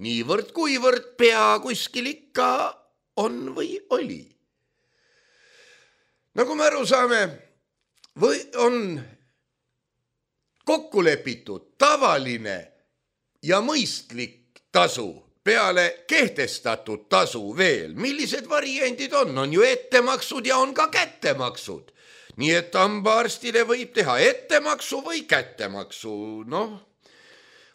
Niivõrd, kuivõrd pea kuskil ikka on või oli. Nagu me aru saame, või on kokku lepitud tavaline ja mõistlik tasu peale kehtestatud tasu veel. Millised variandid on? On ju ettemaksud ja on ka kättemaksud. Nii et hambaarstile võib teha ettemaksu või kättemaksu, noh,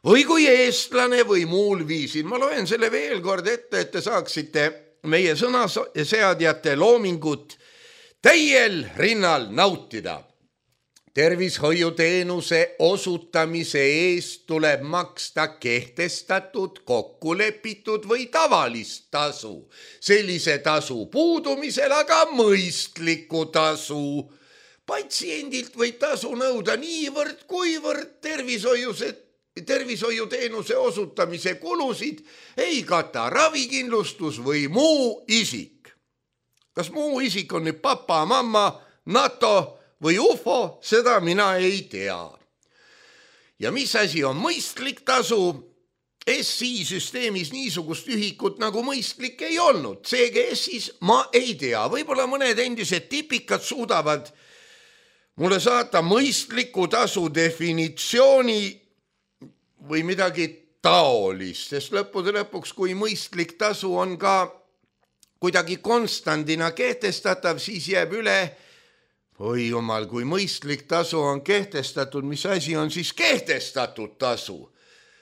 või kui eestlane või muul viisil. Ma loen selle veel kord ette, et te saaksite meie sõnaseadjate loomingut täiel rinnal nautida. Tervishoiuteenuse osutamise eest tuleb maksta kehtestatud, kokkulepitud või tavalist tasu. Sellise tasu puudumisel aga mõistliku tasu. Patsiendilt võib tasu nõuda niivõrd, kuivõrd tervishoiuteenuse osutamise kulusid ei kata ravikindlustus või muu isik. Kas muu isik on nüüd papa, mamma, NATO või U F O, seda mina ei tea. Ja mis asi on mõistlik tasu? S I süsteemis niisugust ühikut nagu mõistlik ei olnud. C G S-is ma ei tea. Võib-olla mõned endised tipikad suudavad mulle saata mõistliku tasu definitsiooni või midagi taolist, sest lõppude lõpuks, kui mõistlik tasu on ka kuidagi konstandina kehtestatav, siis jääb üle, oi jumal, kui mõistlik tasu on kehtestatud, mis asi on siis kehtestatud tasu?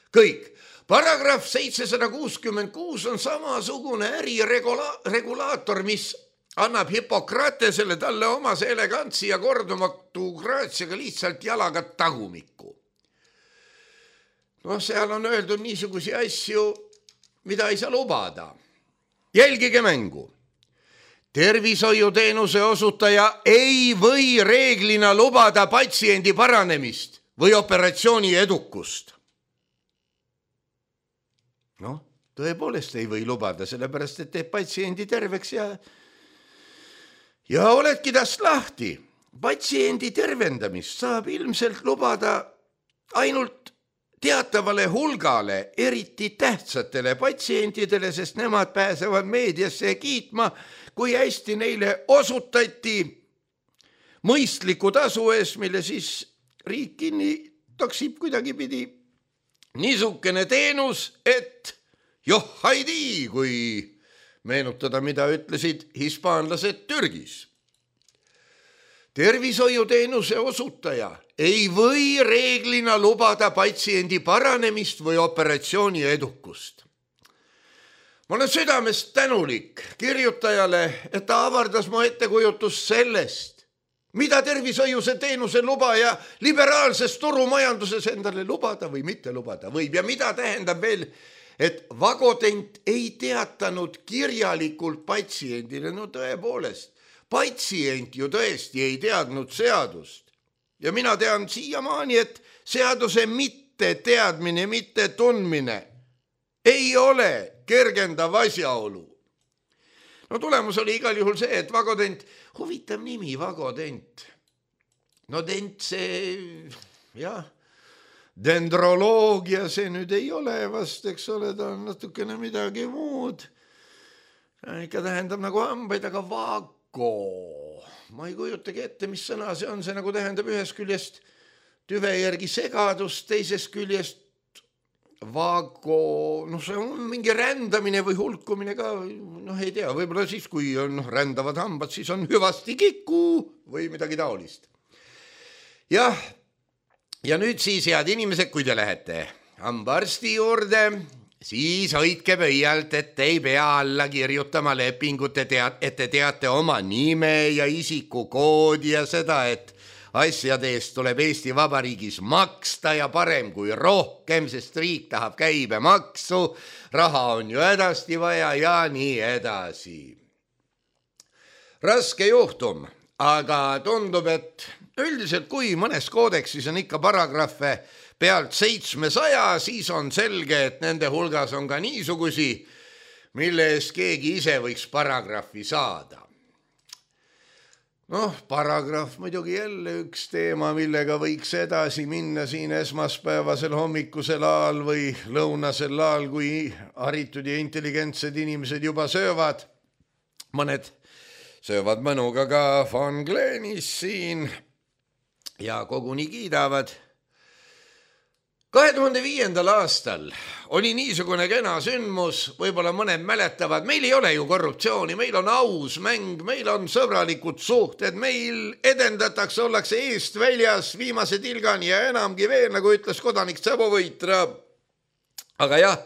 Kõik. Paragrahv seitsesada kuuskümmend kuus on samasugune äriregulaator, mis annab Hippokratesele talle omase elegantsi ja kordumatu graatsiaga lihtsalt jalaga tagumikku. No seal on öeldud niisugusi asju, mida ei saa lubada. Jälgige mängu. Tervishoiuteenuse osutaja ei või reeglina lubada patsiendi paranemist või operatsiooni edukust. Noh, tõepoolest ei või lubada, sellepärast et teeb patsiendi terveks ja Ja oledki tast lahti. Patsiendi tervendamist saab ilmselt lubada ainult teatavale hulgale, eriti tähtsatele patsientidele, sest nemad pääsevad meediasse kiitma, kui hästi neile osutati mõistliku tasu ees, mille siis riik kinni taksib kuidagi pidi. Niisugune teenus, et joh haidii, kui meenutada, mida ütlesid hispaanlased Türgis. Tervishoiuteenuse osutaja ei või reeglina lubada patsiendi paranemist või operatsiooni edukust. Ma olen südamest tänulik kirjutajale, et ta avardas mu ettekujutust sellest, mida tervishoiuse teenuse lubaja liberaalses turumajanduses endale lubada või mitte lubada võib ja mida tähendab veel, et vagotent ei teatanud kirjalikult patsiendile, no tõepoolest, patsient ju tõesti ei teadnud seadust. Ja mina tean siiamaani, et seaduse mitte teadmine, mitte tundmine ei ole kergendav asjaolu. No tulemus oli igal juhul see, et vagotent, huvitav nimi, vagotent. no dent see, jah, dendroloogia see nüüd ei ole vast, eks ole, ta on natukene midagi muud. Ikka tähendab nagu hambaid, aga vago. Ma ei kujutagi ette, mis sõna see on, see nagu tähendab ühest küljest tüve järgi segadust, teisest küljest vago, noh see on mingi rändamine või hulkumine ka, noh ei tea, võib-olla siis, kui on rändavad hambad, siis on hüvasti kiku või midagi taolist. Jah, ja nüüd siis, head inimesed, kui te lähete hambaarsti juurde, siis hoidke pöialt, et ei pea alla kirjutama lepingut, et te teate oma nime ja isikukoodi ja seda, et asjade eest tuleb Eesti Vabariigis maksta ja parem kui rohkem, sest riik tahab käibemaksu, raha on ju hädasti vaja ja nii edasi. Raske juhtum, aga tundub, et üldiselt kui mõnes koodeksis on ikka paragrahve pealt seitsmesaja, siis on selge, et nende hulgas on ka niisugusi, mille eest keegi ise võiks paragrahvi saada. Noh, paragrahv muidugi jälle üks teema, millega võiks edasi minna siin esmaspäevasel hommikusel ajal või lõunasel ajal, kui haritud ja intelligentsed inimesed juba söövad. Mõned söövad mõnuga ka Von Glenis siin ja koguni kiidavad. kahe tuhande viiendal aastal oli niisugune kena sündmus, võib-olla mõned mäletavad, meil ei ole ju korruptsiooni, meil on aus mäng, meil on sõbralikud suhted, meil edendatakse, ollakse eest väljas viimase tilgani ja enamgi veel, nagu ütles kodanik Tsabovõitra. Aga jah,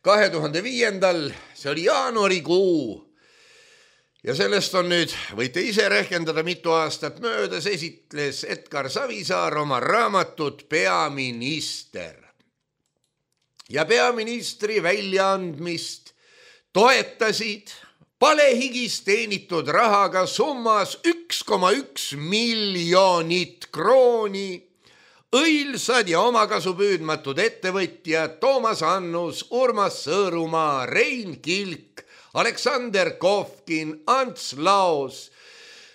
kahe tuhande viiendal, see oli jaanuarikuu ja sellest on nüüd, võite ise rehkendada mitu aastat möödas, esitles Edgar Savisaar oma raamatut Peaminister. Ja peaministri väljaandmist toetasid palehigis teenitud rahaga summas üks koma üks miljonit krooni õilsad ja omakasu püüdmatud ettevõtjad Toomas Annus, Urmas Sõõrumaa, Rein Kilk, Aleksander Kovkin, Ants Laos,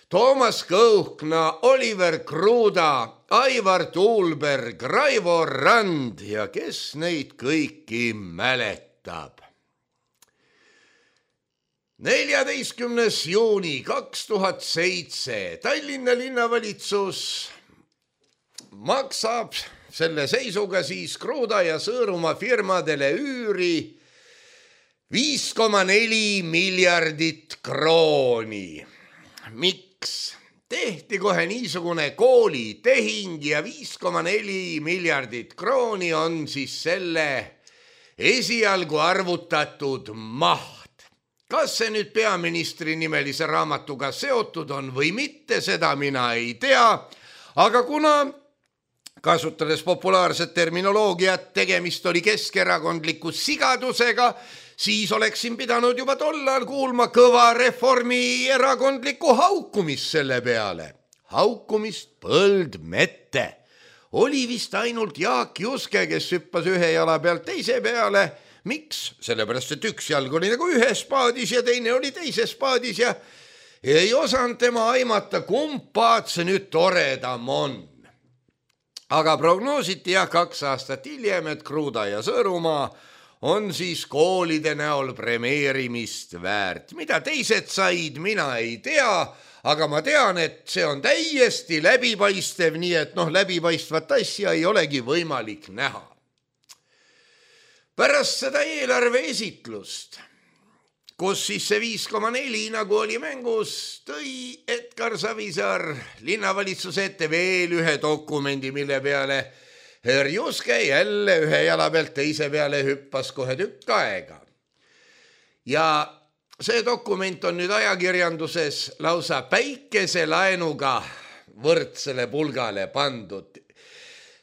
Toomas Kõuhkna, Oliver Kruda, Aivar Tuulberg, Raivo Rand ja kes neid kõiki mäletab. neljateistkümnes juuni kaks tuhat seitse Tallinna linnavalitsus maksab selle seisuga siis Kruda ja Sõõrumaa firmadele üüri viis koma neli miljardit krooni. Miks? Tehti kohe niisugune koolitehing ja viis koma neli miljardit krooni on siis selle esialgu arvutatud maht. Kas see nüüd peaministri nimelise raamatuga seotud on või mitte, seda mina ei tea, aga kuna kasutades populaarset terminoloogiat, tegemist oli keskerakondliku sigadusega, siis oleksin pidanud juba tollal kuulma kõva Reformierakondlikku haukumist selle peale. Haukumist põld mette. Oli vist ainult Jaak Juske, kes hüppas ühe jala pealt teise peale. Miks? Sellepärast, et üks jalg oli nagu ühes paadis ja teine oli teises paadis ja ei osanud tema aimata, kumb paad see nüüd toredam on. Aga prognoositi jah kaks aastat hiljem, et Kruda ja Sõõrumaa on siis koolide näol premeerimist väärt. Mida teised said, mina ei tea, aga ma tean, et see on täiesti läbipaistev, nii et noh, läbipaistvat asja ei olegi võimalik näha. Pärast seda eelarve esitlust, kus siis see viis koma neli nagu oli mängus, tõi Edgar Savisaar linnavalitsuse ette veel ühe dokumendi, mille peale Herr Juske jälle ühe jala pealt teise peale hüppas kohe tükk aega. Ja see dokument on nüüd ajakirjanduses lausa päikeselaenuga võrdsele pulgale pandud.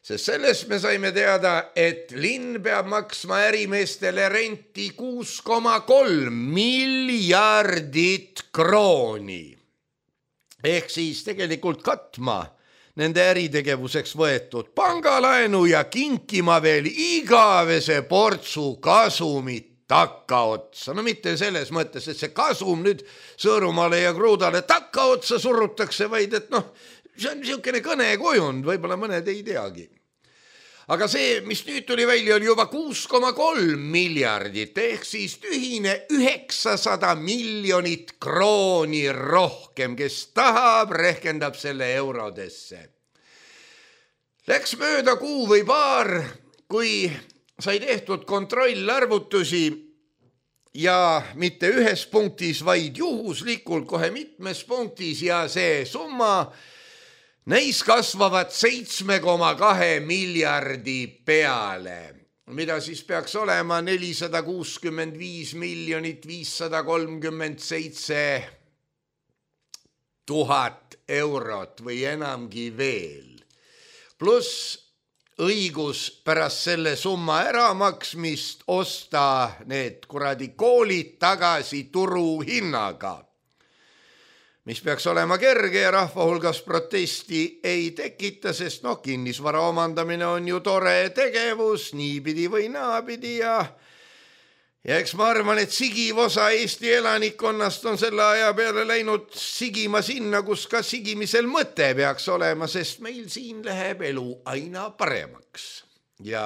Sest sellest me saime teada, et linn peab maksma ärimeestele renti kuus koma kolm miljardit krooni. Ehk siis tegelikult katma nende äritegevuseks võetud pangalaenu ja kinkima veel igavese portsu kasumit takkaotsa. No mitte selles mõttes, et see kasum nüüd Sõõrumaale ja Krudale takkaotsa surutakse, vaid et noh, see on niisugune kõnekujund, võib-olla mõned ei teagi. Aga see, mis nüüd tuli välja, oli juba kuus koma kolm miljardit, ehk siis tühine üheksasada miljonit krooni rohkem, kes tahab, rehkendab selle eurodesse. Läks mööda kuu või paar, kui sai tehtud kontrollarvutusi ja mitte ühes punktis, vaid juhuslikult kohe mitmes punktis ja see summa neis kasvavad seitsme koma kahe miljardi peale, mida siis peaks olema nelisada kuuskümmend viis miljonit viissada kolmkümmend seitse tuhat eurot või enamgi veel. Pluss õigus pärast selle summa äramaksmist osta need kuradi koolid tagasi turuhinnaga, mis peaks olema kerge ja rahva hulgas protesti ei tekita, sest noh, kinnisvara omandamine on ju tore tegevus, niipidi või naapidi ja ja eks ma arvan, et sigiv osa Eesti elanikkonnast on selle aja peale läinud sigima sinna, kus ka sigimisel mõte peaks olema, sest meil siin läheb elu aina paremaks ja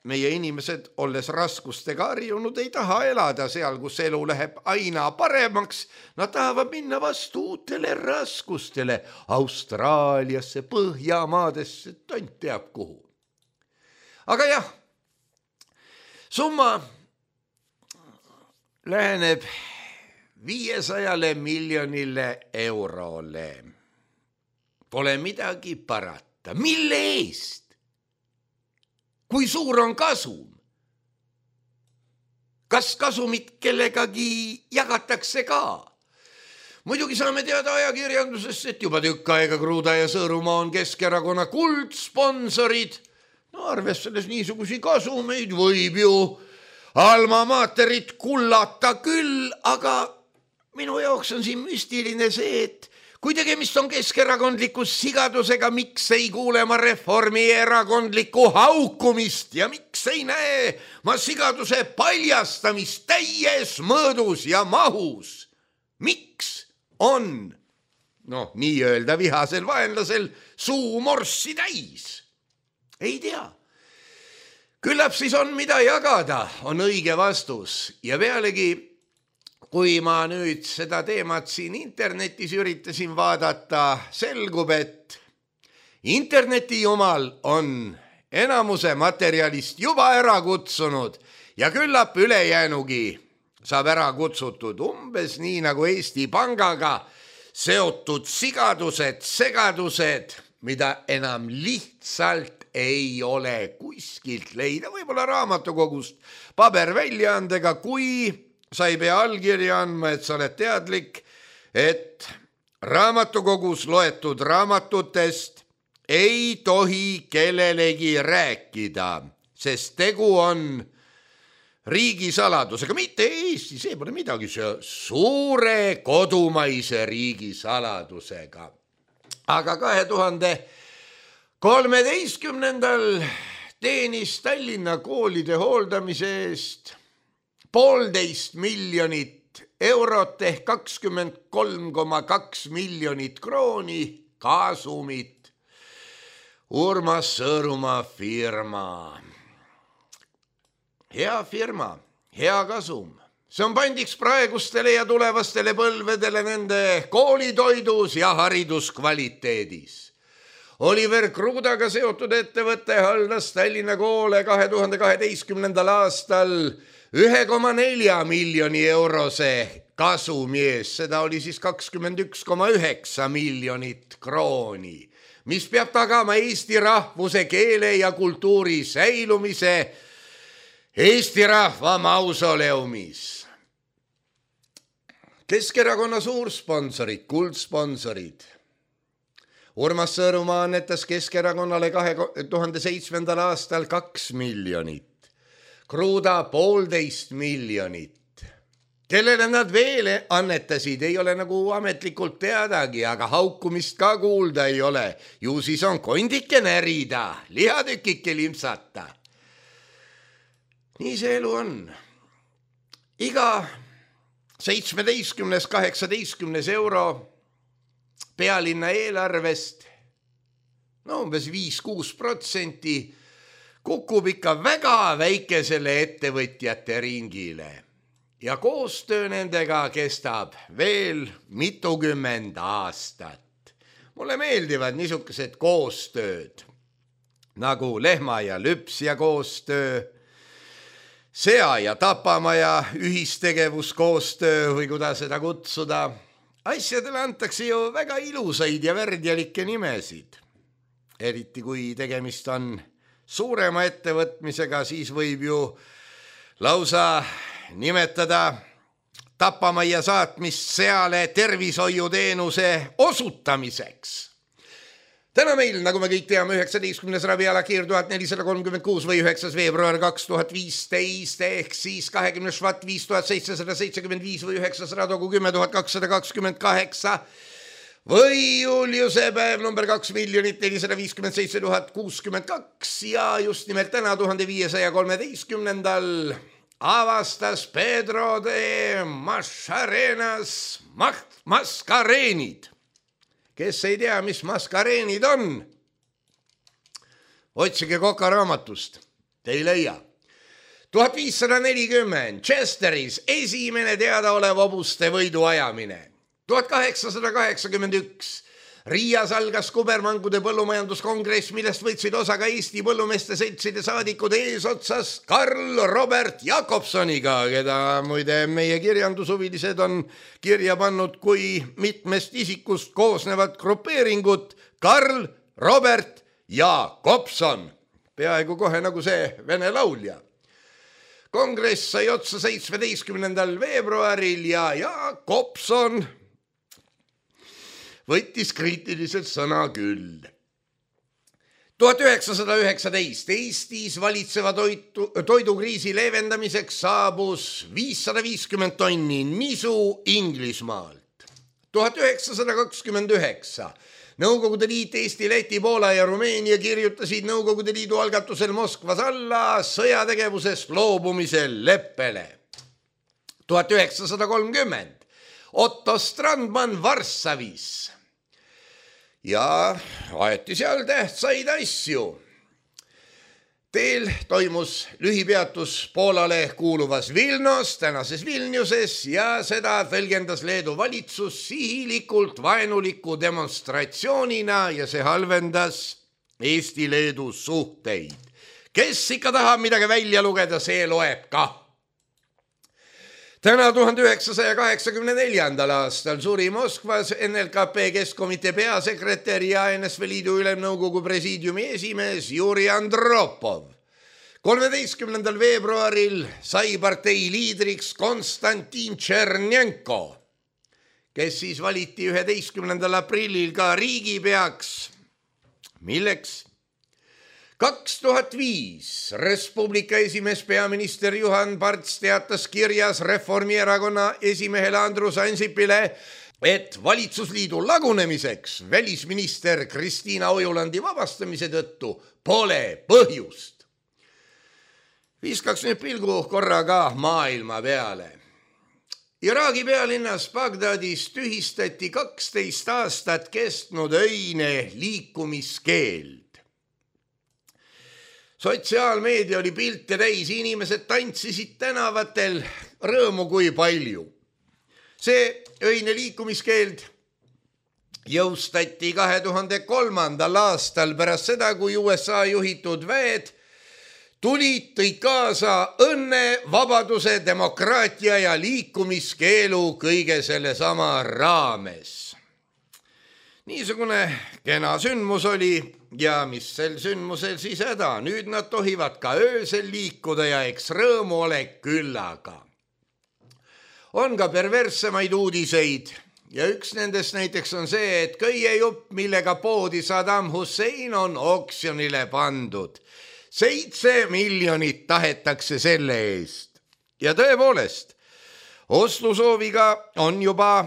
meie inimesed, olles raskustega harjunud, ei taha elada seal, kus elu läheb aina paremaks. Nad tahavad minna vastu uutele raskustele Austraaliasse, Põhjamaadesse, tont teab kuhu. Aga jah, summa läheneb viiesajale miljonile eurole. Pole midagi parata. Mille eest? Kui suur on kasum? Kas kasumit kellegagi jagatakse ka? Muidugi saame teada ajakirjandusest, et juba tükk aega Kruda ja Sõõrumaa on Keskerakonna kuldsponsorid. No arvestades niisugusi kasumeid võib ju alma materit kullata küll, aga minu jaoks on siin müstiline see, et kui tegemist on keskerakondliku sigadusega, miks ei kuule ma Reformierakondlikku haukumist ja miks ei näe ma sigaduse paljastamist täies mõõdus ja mahus? Miks on, noh, nii-öelda vihasel vaenlasel suu morssi täis? Ei tea. Küllap siis on mida jagada, on õige vastus ja pealegi kui ma nüüd seda teemat siin internetis üritasin vaadata, selgub, et interneti jumal on enamuse materjalist juba ära kutsunud ja küllap ülejäänugi saab ära kutsutud umbes nii nagu Eesti Pangaga seotud sigadused, segadused, mida enam lihtsalt ei ole kuskilt leida, võib-olla raamatukogust paberväljaandega, kui sa ei pea allkirja andma, et sa oled teadlik, et raamatukogus loetud raamatutest ei tohi kellelegi rääkida, sest tegu on riigisaladusega, mitte Eesti, see pole midagi, see suure kodumaise riigisaladusega. Aga kahe tuhande kolmeteistkümnendal teenis Tallinna koolide hooldamise eest poolteist miljonit eurot ehk kakskümmend kolm koma kaks miljonit krooni kasumit Urmas Sõõrumaa firma. Hea firma, hea kasum. See on pandiks praegustele ja tulevastele põlvedele nende koolitoidus ja hariduskvaliteedis. Oliver Krudaga seotud ettevõte haldas Tallinna koole kahe tuhande kaheteistkümnendal aastal ühe koma nelja miljoni eurose kasumi ees, seda oli siis kakskümmend üks koma üheksa miljonit krooni, mis peab tagama Eesti rahvuse, keele ja kultuuri säilumise Eesti rahva mausoleumis. Keskerakonna suursponsorid, kuldsponsorid. Urmas Sõõrumaa annetas Keskerakonnale kahe tuhande seitsmendal aastal kaks miljonit. Kruda poolteist miljonit. Kellele nad veel annetasid, ei ole nagu ametlikult teadagi, aga haukumist ka kuulda ei ole. Ju siis on kondike närida, lihatükike limpsata. Nii see elu on. Iga seitsmeteistkümnes, kaheksateistkümnes euro pealinna eelarvest no umbes viis kuus protsenti, kukub ikka väga väikesele ettevõtjate ringile ja koostöö nendega kestab veel mitukümmend aastat. Mulle meeldivad niisugused koostööd, nagu lehma ja lüpsja koostöö, sea ja tapamaja ühistegevuskoostöö või kuidas seda kutsuda. Asjadele antakse ju väga ilusaid ja värdjalikke nimesid. Eriti kui tegemist on suurema ettevõtmisega, siis võib ju lausa nimetada tapamajja saatmist seale tervishoiuteenuse osutamiseks. Täna meil, nagu me kõik teame, üheksateistkümnes ravialakiir tuhat nelisada kolmkümmend kuus või üheksas veebruar kaks tuhat viisteist ehk siis kahekümnes švat viis tuhat seitsesada seitsekümmend viis või üheksas radogu kümme tuhat kakssada kakskümmend kaheksa või Juliuse päev number kaks miljonit nelisada viiskümmend seitse tuhat kuuskümmend kaks ja just nimelt täna tuhande viiesaja kolmeteistkümnendal avastas Pedro de Mascarenas maskareenid. Kes ei tea, mis maskareenid on? Otsige Koka raamatust, te ei leia. tuhat viissada nelikümmend Chesteris esimene teadaolev hobuste võidu ajamine. tuhat kaheksasada kaheksakümmend üks Riias algas kubermangude põllumajanduskongress, millest võtsid osa ka Eesti põllumeeste seltside saadikud eesotsas Karl Robert Jakobsoniga, keda muide meie kirjandushuvilised on kirja pannud kui mitmest isikust koosnevat grupeeringut Karl Robert Jakobson, peaaegu kohe nagu see vene laulja. Kongress sai otsa seitsmeteistkümnendal veebruaril ja Jakobson võttis kriitiliselt sõna küll. tuhat üheksasada üheksateist Eestis valitseva toitu, toidukriisi leevendamiseks saabus viissada viiskümmend tonni nisu Inglismaalt. tuhat üheksasada kakskümmend üheksa Nõukogude Liit, Eesti, Läti, Poola ja Rumeenia kirjutasid Nõukogude Liidu algatusel Moskvas alla sõjategevusest loobumise leppele. tuhat üheksasada kolmkümmend Otto Strandman Varssavis ja aeti seal tähtsaid asju. Teel toimus lühipeatus Poolale kuuluvas Vilnos, tänases Vilniuses ja seda tõlgendas Leedu valitsus sihilikult vaenuliku demonstratsioonina ja see halvendas Eesti-Leedu suhteid. Kes ikka tahab midagi välja lugeda, see loeb ka. Täna tuhande üheksasaja kaheksakümne neljandal aastal suri Moskvas N L K P Keskkomitee peasekretär ja N S V Liidu Ülemnõukogu presiidiumi esimees Juri Andropov. kolmeteistkümnendal veebruaril sai partei liidriks Konstantin Tšernjenko, kes siis valiti üheteistkümnendal aprillil ka riigipeaks. Milleks? kaks tuhat viis Respublika esimees peaminister Juhan Parts teatas kirjas Reformierakonna esimehele Andrus Ansipile, et valitsusliidu lagunemiseks välisminister Kristiina Ojulandi vabastamise tõttu pole põhjust. Viskaks nüüd pilgu korraga maailma peale. Iraagi pealinnas Bagdadis tühistati kaksteist aastat kestnud öine liikumiskeeld. Sotsiaalmeedia oli pilte täis, inimesed tantsisid tänavatel rõõmu kui palju. See öine liikumiskeeld jõustati kahe tuhande kolmandal aastal pärast seda, kui U S A juhitud väed tulid, tõid kaasa õnne, vabaduse, demokraatia ja liikumiskeelu kõige selle sama raames. Niisugune kena sündmus oli ja mis sel sündmusel siis häda. Nüüd nad tohivad ka öösel liikuda ja eks rõõmu ole küllaga. On ka perverssemaid uudiseid ja üks nendest näiteks on see, et köiejupp, millega poodi Saddam Hussein, on oksjonile pandud. Seitse miljonit tahetakse selle eest. Ja tõepoolest, ostlusooviga on juba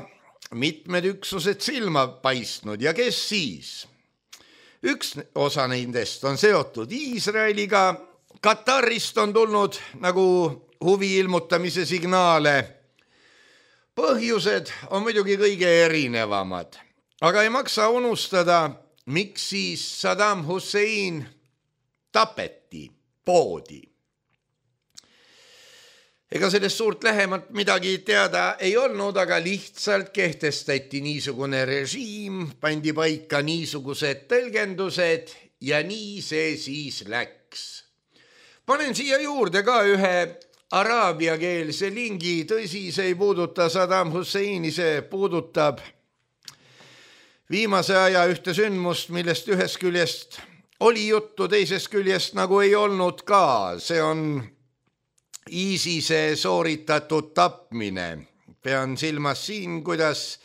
mitmed üksused silma paistnud ja kes siis? Üks osa nendest on seotud Iisraeliga. Katarist on tulnud nagu huvi ilmutamise signaale. Põhjused on muidugi kõige erinevamad, aga ei maksa unustada miks siis Saddam Hussein tapeti, poodi. Ega sellest suurt lähemalt midagi teada ei olnud, aga lihtsalt kehtestati niisugune režiim, pandi paika niisugused tõlgendused ja nii see siis läks. Panen siia juurde ka ühe araabiakeelse lingi, tõsi, see ei puuduta Saddam Husseini, see puudutab viimase aja ühte sündmust, millest ühest küljest oli juttu, teisest küljest nagu ei olnud ka. See on ISISe sooritatud tapmine. Pean silmas siin, kuidas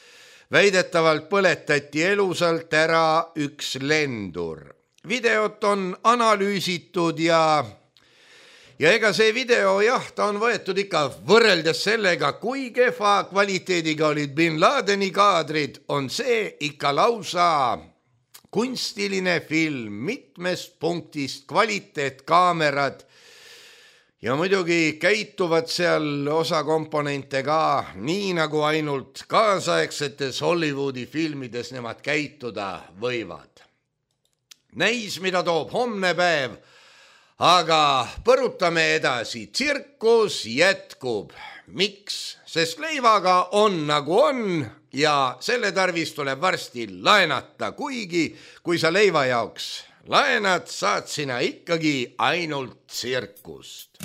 väidetavalt põletati elusalt ära üks lendur. Videot on analüüsitud ja Ja ega see video, jah, ta on võetud ikka võrreldes sellega, kui kehva kvaliteediga olid Bin Ladeni kaadrid, on see ikka lausa kunstiline film, mitmest punktist kvaliteetkaamerad ja muidugi käituvad seal osa komponente ka nii nagu ainult kaasaegsetes Hollywoodi filmides nemad käituda võivad. Näis, mida toob homne päev, aga põrutame edasi, tsirkus jätkub. Miks? Sest leivaga on nagu on ja selle tarvis tuleb varsti laenata, kuigi kui sa leiva jaoks laenad, saad sina ikkagi ainult tsirkust.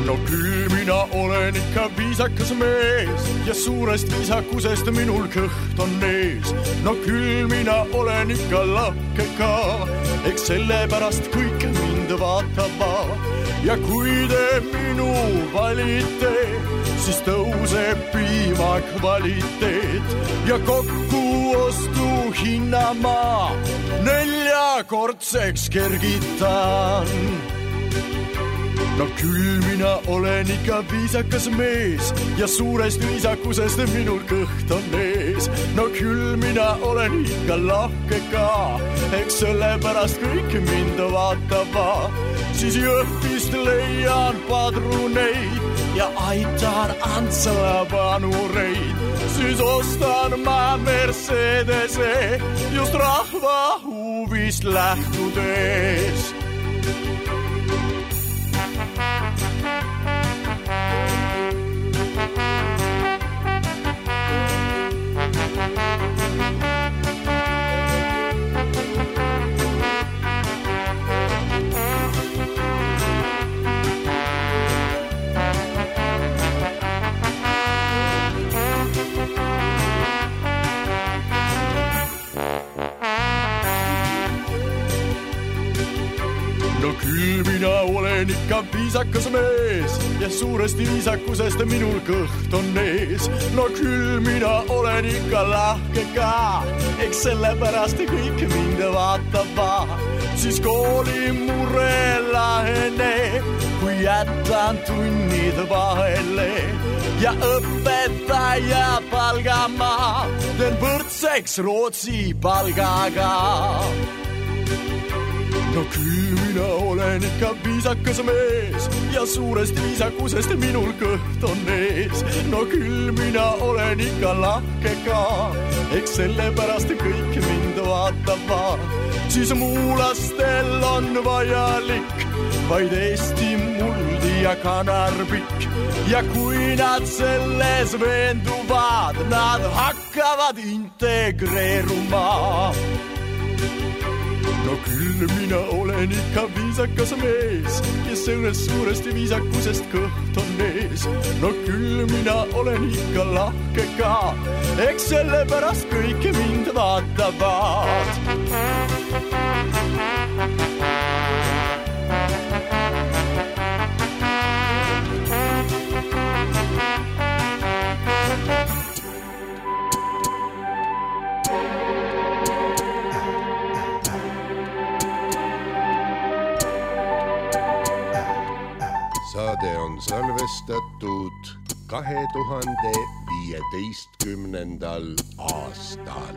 No küll mina olen ikka viisakas mees ja suurest viisakusest minul kõht on ees. No küll mina olen ikka lahke ka, eks sellepärast kõik mind vaatavad. Ja kui te minu valite, siis tõuseb piima kvaliteet ja kokku ostu hinna ma neljakordseks kergitan. No küll mina olen ikka viisakas mees ja suurest viisakusest minul kõht on ees. No küll mina olen ikka lahke ka, eks sellepärast kõik mind vaatavad. Siis Jõhvist leian padruneid ja aitan Antsala vanureid. Siis ostan ma Mercedese just rahva huvist lähtudes. No küll mina olen ikka viisakas mees ja suurest viisakusest minul kõht on ees. No küll mina olen ikka lahke ka, eks sellepärast kõik mind vaatavad. Siis kooli mure lahene, kui jätan tunnid vahele ja õpetaja palgama teen võrdseks Rootsi palgaga. No küll mina olen ikka viisakas mees ja suurest viisakusest minul kõht on ees. No küll mina olen ikka lahke ka, eks sellepärast kõik mind vaatavad. Siis muulastel on vajalik vaid Eesti muldi ja kanarbik ja kui nad selles veenduvad, nad hakkavad integreeruma. No küll mina olen ikka viisakas mees ja sellest suurest viisakusest kõht on ees. No küll mina olen ikka lahke ka, eks sellepärast kõik mind vaatavad. Saade on salvestatud kahe tuhande viieteistkümnendal aastal.